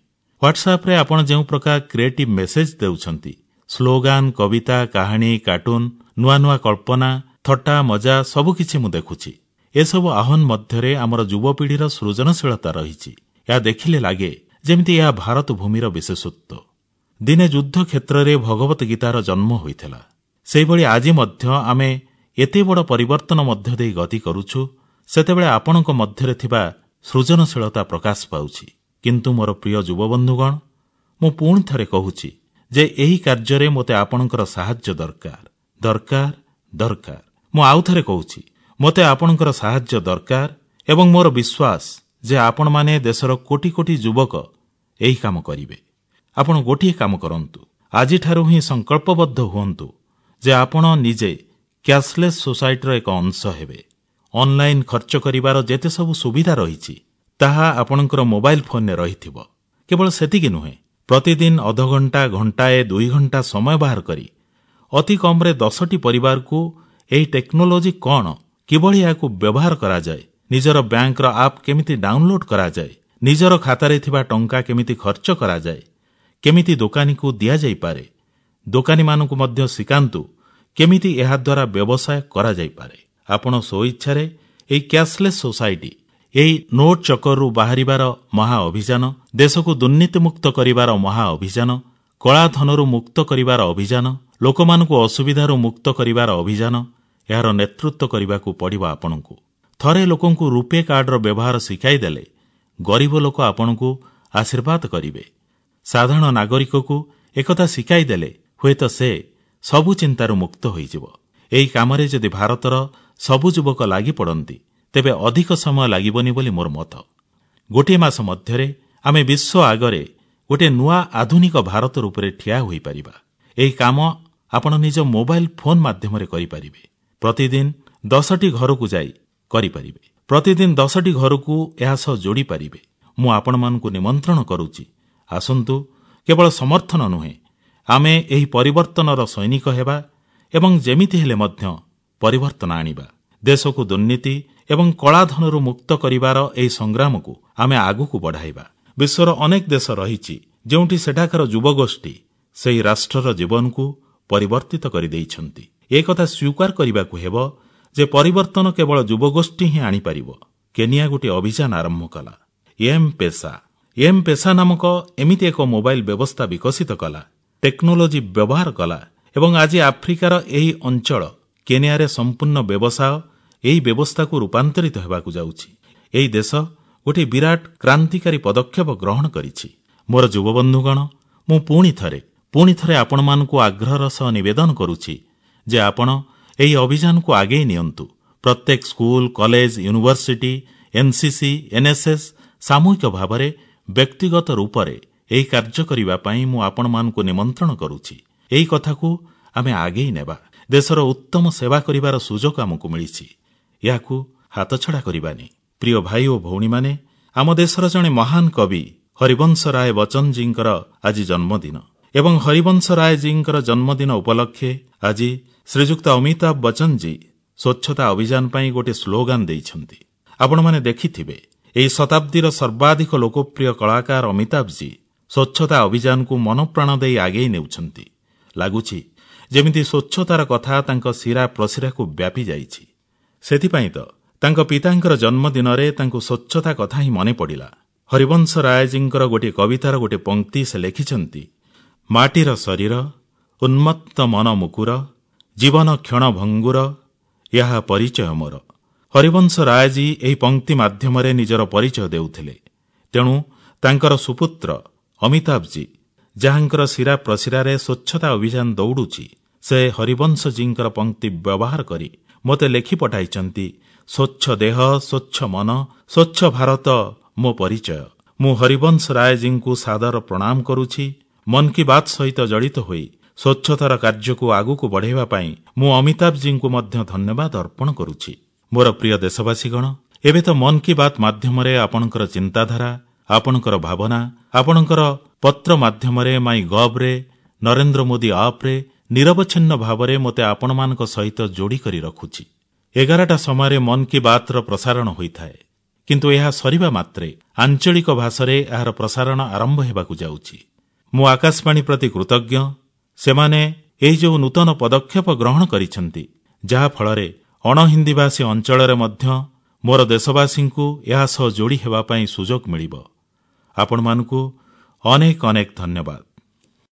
ହ୍ୱାଟ୍ସଆପ୍ରେ ଆପଣ ଯେଉଁ ପ୍ରକାର କ୍ରିଏଟିଭ୍ ମେସେଜ ଦେଉଛନ୍ତି, ସ୍ଲୋଗାନ, କବିତା, କାହାଣୀ, କାର୍ଟୁନ, ନୂଆ ନୂଆ କଳ୍ପନା, ଥଟ୍ଟା ମଜା ସବୁକିଛି ମୁଁ ଦେଖୁଛି। ଏସବୁ ଆହ୍ୱାନ ମଧ୍ୟରେ ଆମର ଯୁବପିଢ଼ିର ସୃଜନଶୀଳତା ରହିଛି। ଏହା ଦେଖିଲେ ଲାଗେ ଯେମିତି ଏହା ଭାରତ ଭୂମିର ବିଶେଷତ୍ୱ। ଦିନେ ଯୁଦ୍ଧ କ୍ଷେତ୍ରରେ ଭଗବତ ଗୀତାର ଜନ୍ମ ହୋଇଥିଲା। ସେହିଭଳି ଆଜି ମଧ୍ୟ ଆମେ ଏତେ ବଡ଼ ପରିବର୍ତ୍ତନ ମଧ୍ୟ ଦେଇ ଗତି କରୁଛୁ, ସେତେବେଳେ ଆପଣଙ୍କ ମଧ୍ୟରେ ଥିବା ସୃଜନଶୀଳତା ପ୍ରକାଶ ପାଉଛି। କିନ୍ତୁ ମୋର ପ୍ରିୟ ଯୁବବନ୍ଧୁଗଣ, ମୁଁ ପୁଣି ଥରେ କହୁଛି ଯେ ଏହି କାର୍ଯ୍ୟରେ ମୋତେ ଆପଣଙ୍କର ସାହାଯ୍ୟ ଦରକାର, ଦରକାର, ଦରକାର। ମୁଁ ଆଉ ଥରେ କହୁଛି, ମୋତେ ଆପଣଙ୍କର ସାହାଯ୍ୟ ଦରକାର ଏବଂ ମୋର ବିଶ୍ୱାସ ଯେ ଆପଣମାନେ ଦେଶର କୋଟି କୋଟି ଯୁବକ ଏହି କାମ କରିବେ। ଆପଣ ଗୋଟିଏ କାମ କରନ୍ତୁ, ଆଜିଠାରୁ ହିଁ ସଂକଳ୍ପବଦ୍ଧ ହୁଅନ୍ତୁ ଯେ ଆପଣ ନିଜେ କ୍ୟାଶଲେସ୍ ସୋସାଇଟିର ଏକ ଅଂଶ ହେବେ। ଅନଲାଇନ ଖର୍ଚ୍ଚ କରିବାର ଯେତେ ସବୁ ସୁବିଧା ରହିଛି ତାହା ଆପଣଙ୍କର ମୋବାଇଲ ଫୋନରେ ରହିଥିବ। କେବଳ ସେତିକି ନୁହେଁ, ପ୍ରତିଦିନ ଅଧଘଣ୍ଟା, ଘଣ୍ଟାଏ, 2 ଘଣ୍ଟା ସମୟ ବାହାର କରି ଅତି କମରେ 10ଟି ପରିବାରକୁ ଏହି ଟେକ୍ନୋଲୋଜି କଣ, କିଭଳି ଏହାକୁ ବ୍ୟବହାର କରାଯାଏ, ନିଜର ବ୍ୟାଙ୍କର ଆପ୍ କେମିତି ଡାଉନଲୋଡ୍ କରାଯାଏ, ନିଜର ଖାତାରେ ଥିବା ଟଙ୍କା କେମିତି ଖର୍ଚ୍ଚ କରାଯାଏ, କେମିତି ଦୋକାନୀକୁ ଦିଆଯାଇପାରେ, ଦୋକାନୀମାନଙ୍କୁ ମଧ୍ୟ ଶିଖାନ୍ତୁ କେମିତି ଏହାଦ୍ୱାରା ବ୍ୟବସାୟ କରାଯାଇପାରେ। ଆପଣ ସ୍ୱଇଚ୍ଛାରେ ଏହି କ୍ୟାଶଲେସ୍ ସୋସାଇଟି, ଏହି ନୋଟ୍ ଚକରରୁ ବାହାରିବାର ମହା ଅଭିଯାନ, ଦେଶକୁ ଦୁର୍ନୀତିମୁକ୍ତ କରିବାର ମହା ଅଭିଯାନ, କଳାଧନରୁ ମୁକ୍ତ କରିବାର ଅଭିଯାନ, ଲୋକମାନଙ୍କୁ ଅସୁବିଧାରୁ ମୁକ୍ତ କରିବାର ଅଭିଯାନ, ଏହାର ନେତୃତ୍ୱ କରିବାକୁ ପଡ଼ିବ ଆପଣଙ୍କୁ। ଥରେ ଲୋକଙ୍କୁ ରୂପେ କାର୍ଡର ବ୍ୟବହାର ଶିଖାଇଦେଲେ ଗରିବ ଲୋକ ଆପଣଙ୍କୁ ଆଶୀର୍ବାଦ କରିବେ। ସାଧାରଣ ନାଗରିକକୁ ଏକଥା ଶିଖାଇଦେଲେ ହୁଏତ ସେ ସବୁ ଚିନ୍ତାରୁ ମୁକ୍ତ ହୋଇଯିବ। ଏହି କାମରେ ଯଦି ଭାରତର ସବୁ ଯୁବକ ଲାଗି ପଡ଼ନ୍ତି ତେବେ ଅଧିକ ସମୟ ଲାଗିବନି ବୋଲି ମୋର ମତ। ଗୋଟିଏ ମାସ ମଧ୍ୟରେ ଆମେ ବିଶ୍ୱ ଆଗରେ ଗୋଟିଏ ନୂଆ ଆଧୁନିକ ଭାରତ ରୂପରେ ଠିଆ ହୋଇପାରିବା। ଏହି କାମ ଆପଣ ନିଜ ମୋବାଇଲ ଫୋନ୍ ମାଧ୍ୟମରେ କରିପାରିବେ। ପ୍ରତିଦିନ 10ଟି ଘରକୁ ଯାଇ କରିପାରିବେ। ପ୍ରତିଦିନ 10ଟି ଘରକୁ ଏହା ସହ ଯୋଡ଼ିପାରିବେ। ମୁଁ ଆପଣମାନଙ୍କୁ ନିମନ୍ତ୍ରଣ କରୁଛି, ଆସନ୍ତୁ କେବଳ ସମର୍ଥନ ନୁହେଁ, ଆମେ ଏହି ପରିବର୍ତ୍ତନର ସୈନିକ ହେବା ଏବଂ ଯେମିତି ହେଲେ ମଧ୍ୟ ପରିବର୍ତ୍ତନ ଆଣିବା। ଦେଶକୁ ଦୁର୍ନୀତି ଏବଂ କଳାଧନରୁ ମୁକ୍ତ କରିବାର ଏହି ସଂଗ୍ରାମକୁ ଆମେ ଆଗକୁ ବଢ଼ାଇବା। ବିଶ୍ୱର ଅନେକ ଦେଶ ରହିଛି ଯେଉଁଠି ସେଠାକାର ଯୁବଗୋଷ୍ଠୀ ସେହି ରାଷ୍ଟ୍ରର ଜୀବନକୁ ପରିବର୍ତ୍ତିତ କରିଦେଇଛନ୍ତି। ଏକଥା ସ୍ୱୀକାର କରିବାକୁ ହେବ ଯେ ପରିବର୍ତ୍ତନ କେବଳ ଯୁବଗୋଷ୍ଠୀ ହିଁ ଆଣିପାରିବ। କେନିଆ ଗୋଟିଏ ଅଭିଯାନ ଆରମ୍ଭ କଲା, ଏମ୍ ପେସା। ଏମ୍ ପେସା ନାମକ ଏମିତି ଏକ ମୋବାଇଲ ବ୍ୟବସ୍ଥା ବିକଶିତ କଲା, ଟେକ୍ନୋଲୋଜି ବ୍ୟବହାର କଲା ଏବଂ ଆଜି ଆଫ୍ରିକାର ଏହି ଅଞ୍ଚଳ କେନିଆରେ ସମ୍ପୂର୍ଣ୍ଣ ବ୍ୟବସାୟ ଏହି ବ୍ୟବସ୍ଥାକୁ ରୂପାନ୍ତରିତ ହେବାକୁ ଯାଉଛି। ଏହି ଦେଶ ଗୋଟିଏ ବିରାଟ କ୍ରାନ୍ତିକାରୀ ପଦକ୍ଷେପ ଗ୍ରହଣ କରିଛି। ମୋର ଯୁବବନ୍ଧୁଗଣ, ମୁଁ ପୁଣି ଥରେ ଆପଣମାନଙ୍କୁ ଆଗ୍ରହର ସହ ନିବେଦନ କରୁଛି ଯେ ଆପଣ ଏହି ଅଭିଯାନକୁ ଆଗେଇ ନିଅନ୍ତୁ। ପ୍ରତ୍ୟେକ school, college, university, NCC, NSS ସାମୂହିକ ଭାବରେ ବ୍ୟକ୍ତିଗତ ରୂପରେ ଏହି କାର୍ଯ୍ୟ କରିବା ପାଇଁ ମୁଁ ଆପଣମାନଙ୍କୁ ନିମନ୍ତ୍ରଣ କରୁଛି। ଏହି କଥାକୁ ଆମେ ଆଗେଇ ନେବା। ଦେଶର ଉତ୍ତମ ସେବା କରିବାର ସୁଯୋଗ ଆମକୁ ମିଳିଛି, ଏହାକୁ ହାତଛଡ଼ା କରିବାନି। ପ୍ରିୟ ଭାଇ ଓ ଭଉଣୀମାନେ, ଆମ ଦେଶର ଜଣେ ମହାନ କବି ହରିବଂଶ ରାୟ ବଚ୍ଚନଜୀଙ୍କର ଆଜି ଜନ୍ମଦିନ ଏବଂ ହରିବଂଶ ରାୟଜୀଙ୍କର ଜନ୍ମଦିନ ଉପଲକ୍ଷେ ଆଜି ଶ୍ରୀଯୁକ୍ତ ଅମିତାଭ ବଚ୍ଚନଜୀ ସ୍ୱଚ୍ଛତା ଅଭିଯାନ ପାଇଁ ଗୋଟିଏ ସ୍ଲୋଗାନ ଦେଇଛନ୍ତି। ଆପଣମାନେ ଦେଖିଥିବେ, ଏହି ଶତାବ୍ଦୀର ସର୍ବାଧିକ ଲୋକପ୍ରିୟ କଳାକାର ଅମିତାଭଜୀ ସ୍ୱଚ୍ଛତା ଅଭିଯାନକୁ ମନପ୍ରାଣ ଦେଇ ଆଗେଇ ନେଉଛନ୍ତି। ଲାଗୁଛି ଯେମିତି ସ୍ୱଚ୍ଛତାର କଥା ତାଙ୍କ ଶିରା ପ୍ରଶିରାକୁ ବ୍ୟାପି ଯାଇଛି। ସେଥିପାଇଁ ତ ତାଙ୍କ ପିତାଙ୍କର ଜନ୍ମଦିନରେ ତାଙ୍କୁ ସ୍ୱଚ୍ଛତା କଥା ହିଁ ମନେ ପଡ଼ିଲା। ହରିବଂଶ ରାୟଜୀଙ୍କର ଗୋଟିଏ କବିତାର ଗୋଟିଏ ପଂକ୍ତି ସେ ଲେଖିଛନ୍ତି, ମାଟିର ଶରୀର, ଉନ୍ମତ୍ତ ମନ ମୁକୁର, ଜୀବନ କ୍ଷଣଭଙ୍ଗୁର, ଏହା ପରିଚୟ ମୋର। ହରିବଂଶ ରାୟଜୀ ଏହି ପଂକ୍ତି ମାଧ୍ୟମରେ ନିଜର ପରିଚୟ ଦେଉଥିଲେ। ତେଣୁ ତାଙ୍କର ସୁପୁତ୍ର ଅମିତାଭଜୀ, ଯାହାଙ୍କର ଶିରା ପ୍ରଶିରାରେ ସ୍ୱଚ୍ଛତା ଅଭିଯାନ ଦୌଡ଼ୁଛି, ସେ ହରିବଂଶଜୀଙ୍କ ପଂକ୍ତି ବ୍ୟବହାର କରି ମୋତେ ଲେଖି ପଠାଇଛନ୍ତି, ସ୍ୱଚ୍ଛ ଦେହ, ସ୍ୱଚ୍ଛ ମନ, ସ୍ୱଚ୍ଛ ଭାରତ ମୋ ପରିଚୟ। ମୁଁ ହରିବଂଶ ରାୟଜୀଙ୍କୁ ସାଦର ପ୍ରଣାମ କରୁଛି। ମନ୍ କି ବାତ୍ ସହିତ ଜଡ଼ିତ ହୋଇ ସ୍ୱଚ୍ଛତାର କାର୍ଯ୍ୟକୁ ଆଗକୁ ବଢ଼ାଇବା ପାଇଁ ମୁଁ ଅମିତାଭଜୀଙ୍କୁ ମଧ୍ୟ ଧନ୍ୟବାଦ ଅର୍ପଣ କରୁଛି। ମୋର ପ୍ରିୟ ଦେଶବାସୀଗଣ, ଏବେ ତ ମନ୍ କି ବାତ୍ ମାଧ୍ୟମରେ ଆପଣଙ୍କର ଚିନ୍ତାଧାରା, ଆପଣଙ୍କର ଭାବନା, ଆପଣଙ୍କର ପତ୍ର ମାଧ୍ୟମରେ ମାଇ ଗଭ୍ରେ, ନରେନ୍ଦ୍ର ମୋଦି ଆପ୍ରେ ନିରବଚ୍ଛିନ୍ନ ଭାବରେ ମୋତେ ଆପଣମାନଙ୍କ ସହିତ ଯୋଡ଼ିକରି ରଖୁଛି। 11ଟା ସମୟରେ ମନ୍ କି ବାତ୍ର ପ୍ରସାରଣ ହୋଇଥାଏ, କିନ୍ତୁ ଏହା ସରିବା ମାତ୍ରେ ଆଞ୍ଚଳିକ ଭାଷାରେ ଏହାର ପ୍ରସାରଣ ଆରମ୍ଭ ହେବାକୁ ଯାଉଛି। ମୁଁ ଆକାଶବାଣୀ ପ୍ରତି କୃତଜ୍ଞ। ସେମାନେ ଏହି ଯେଉଁ ନୂତନ ପଦକ୍ଷେପ ଗ୍ରହଣ କରିଛନ୍ତି, ଯାହାଫଳରେ ଅଣହିନ୍ଦୀଭାଷୀ ଅଞ୍ଚଳରେ ମଧ୍ୟ ମୋର ଦେଶବାସୀଙ୍କୁ ଏହା ସହ ଯୋଡ଼ି ହେବା ପାଇଁ ସୁଯୋଗ ମିଳିବ। ଆପଣମାନଙ୍କୁ ଅନେକ ଅନେକ ଧନ୍ୟବାଦ।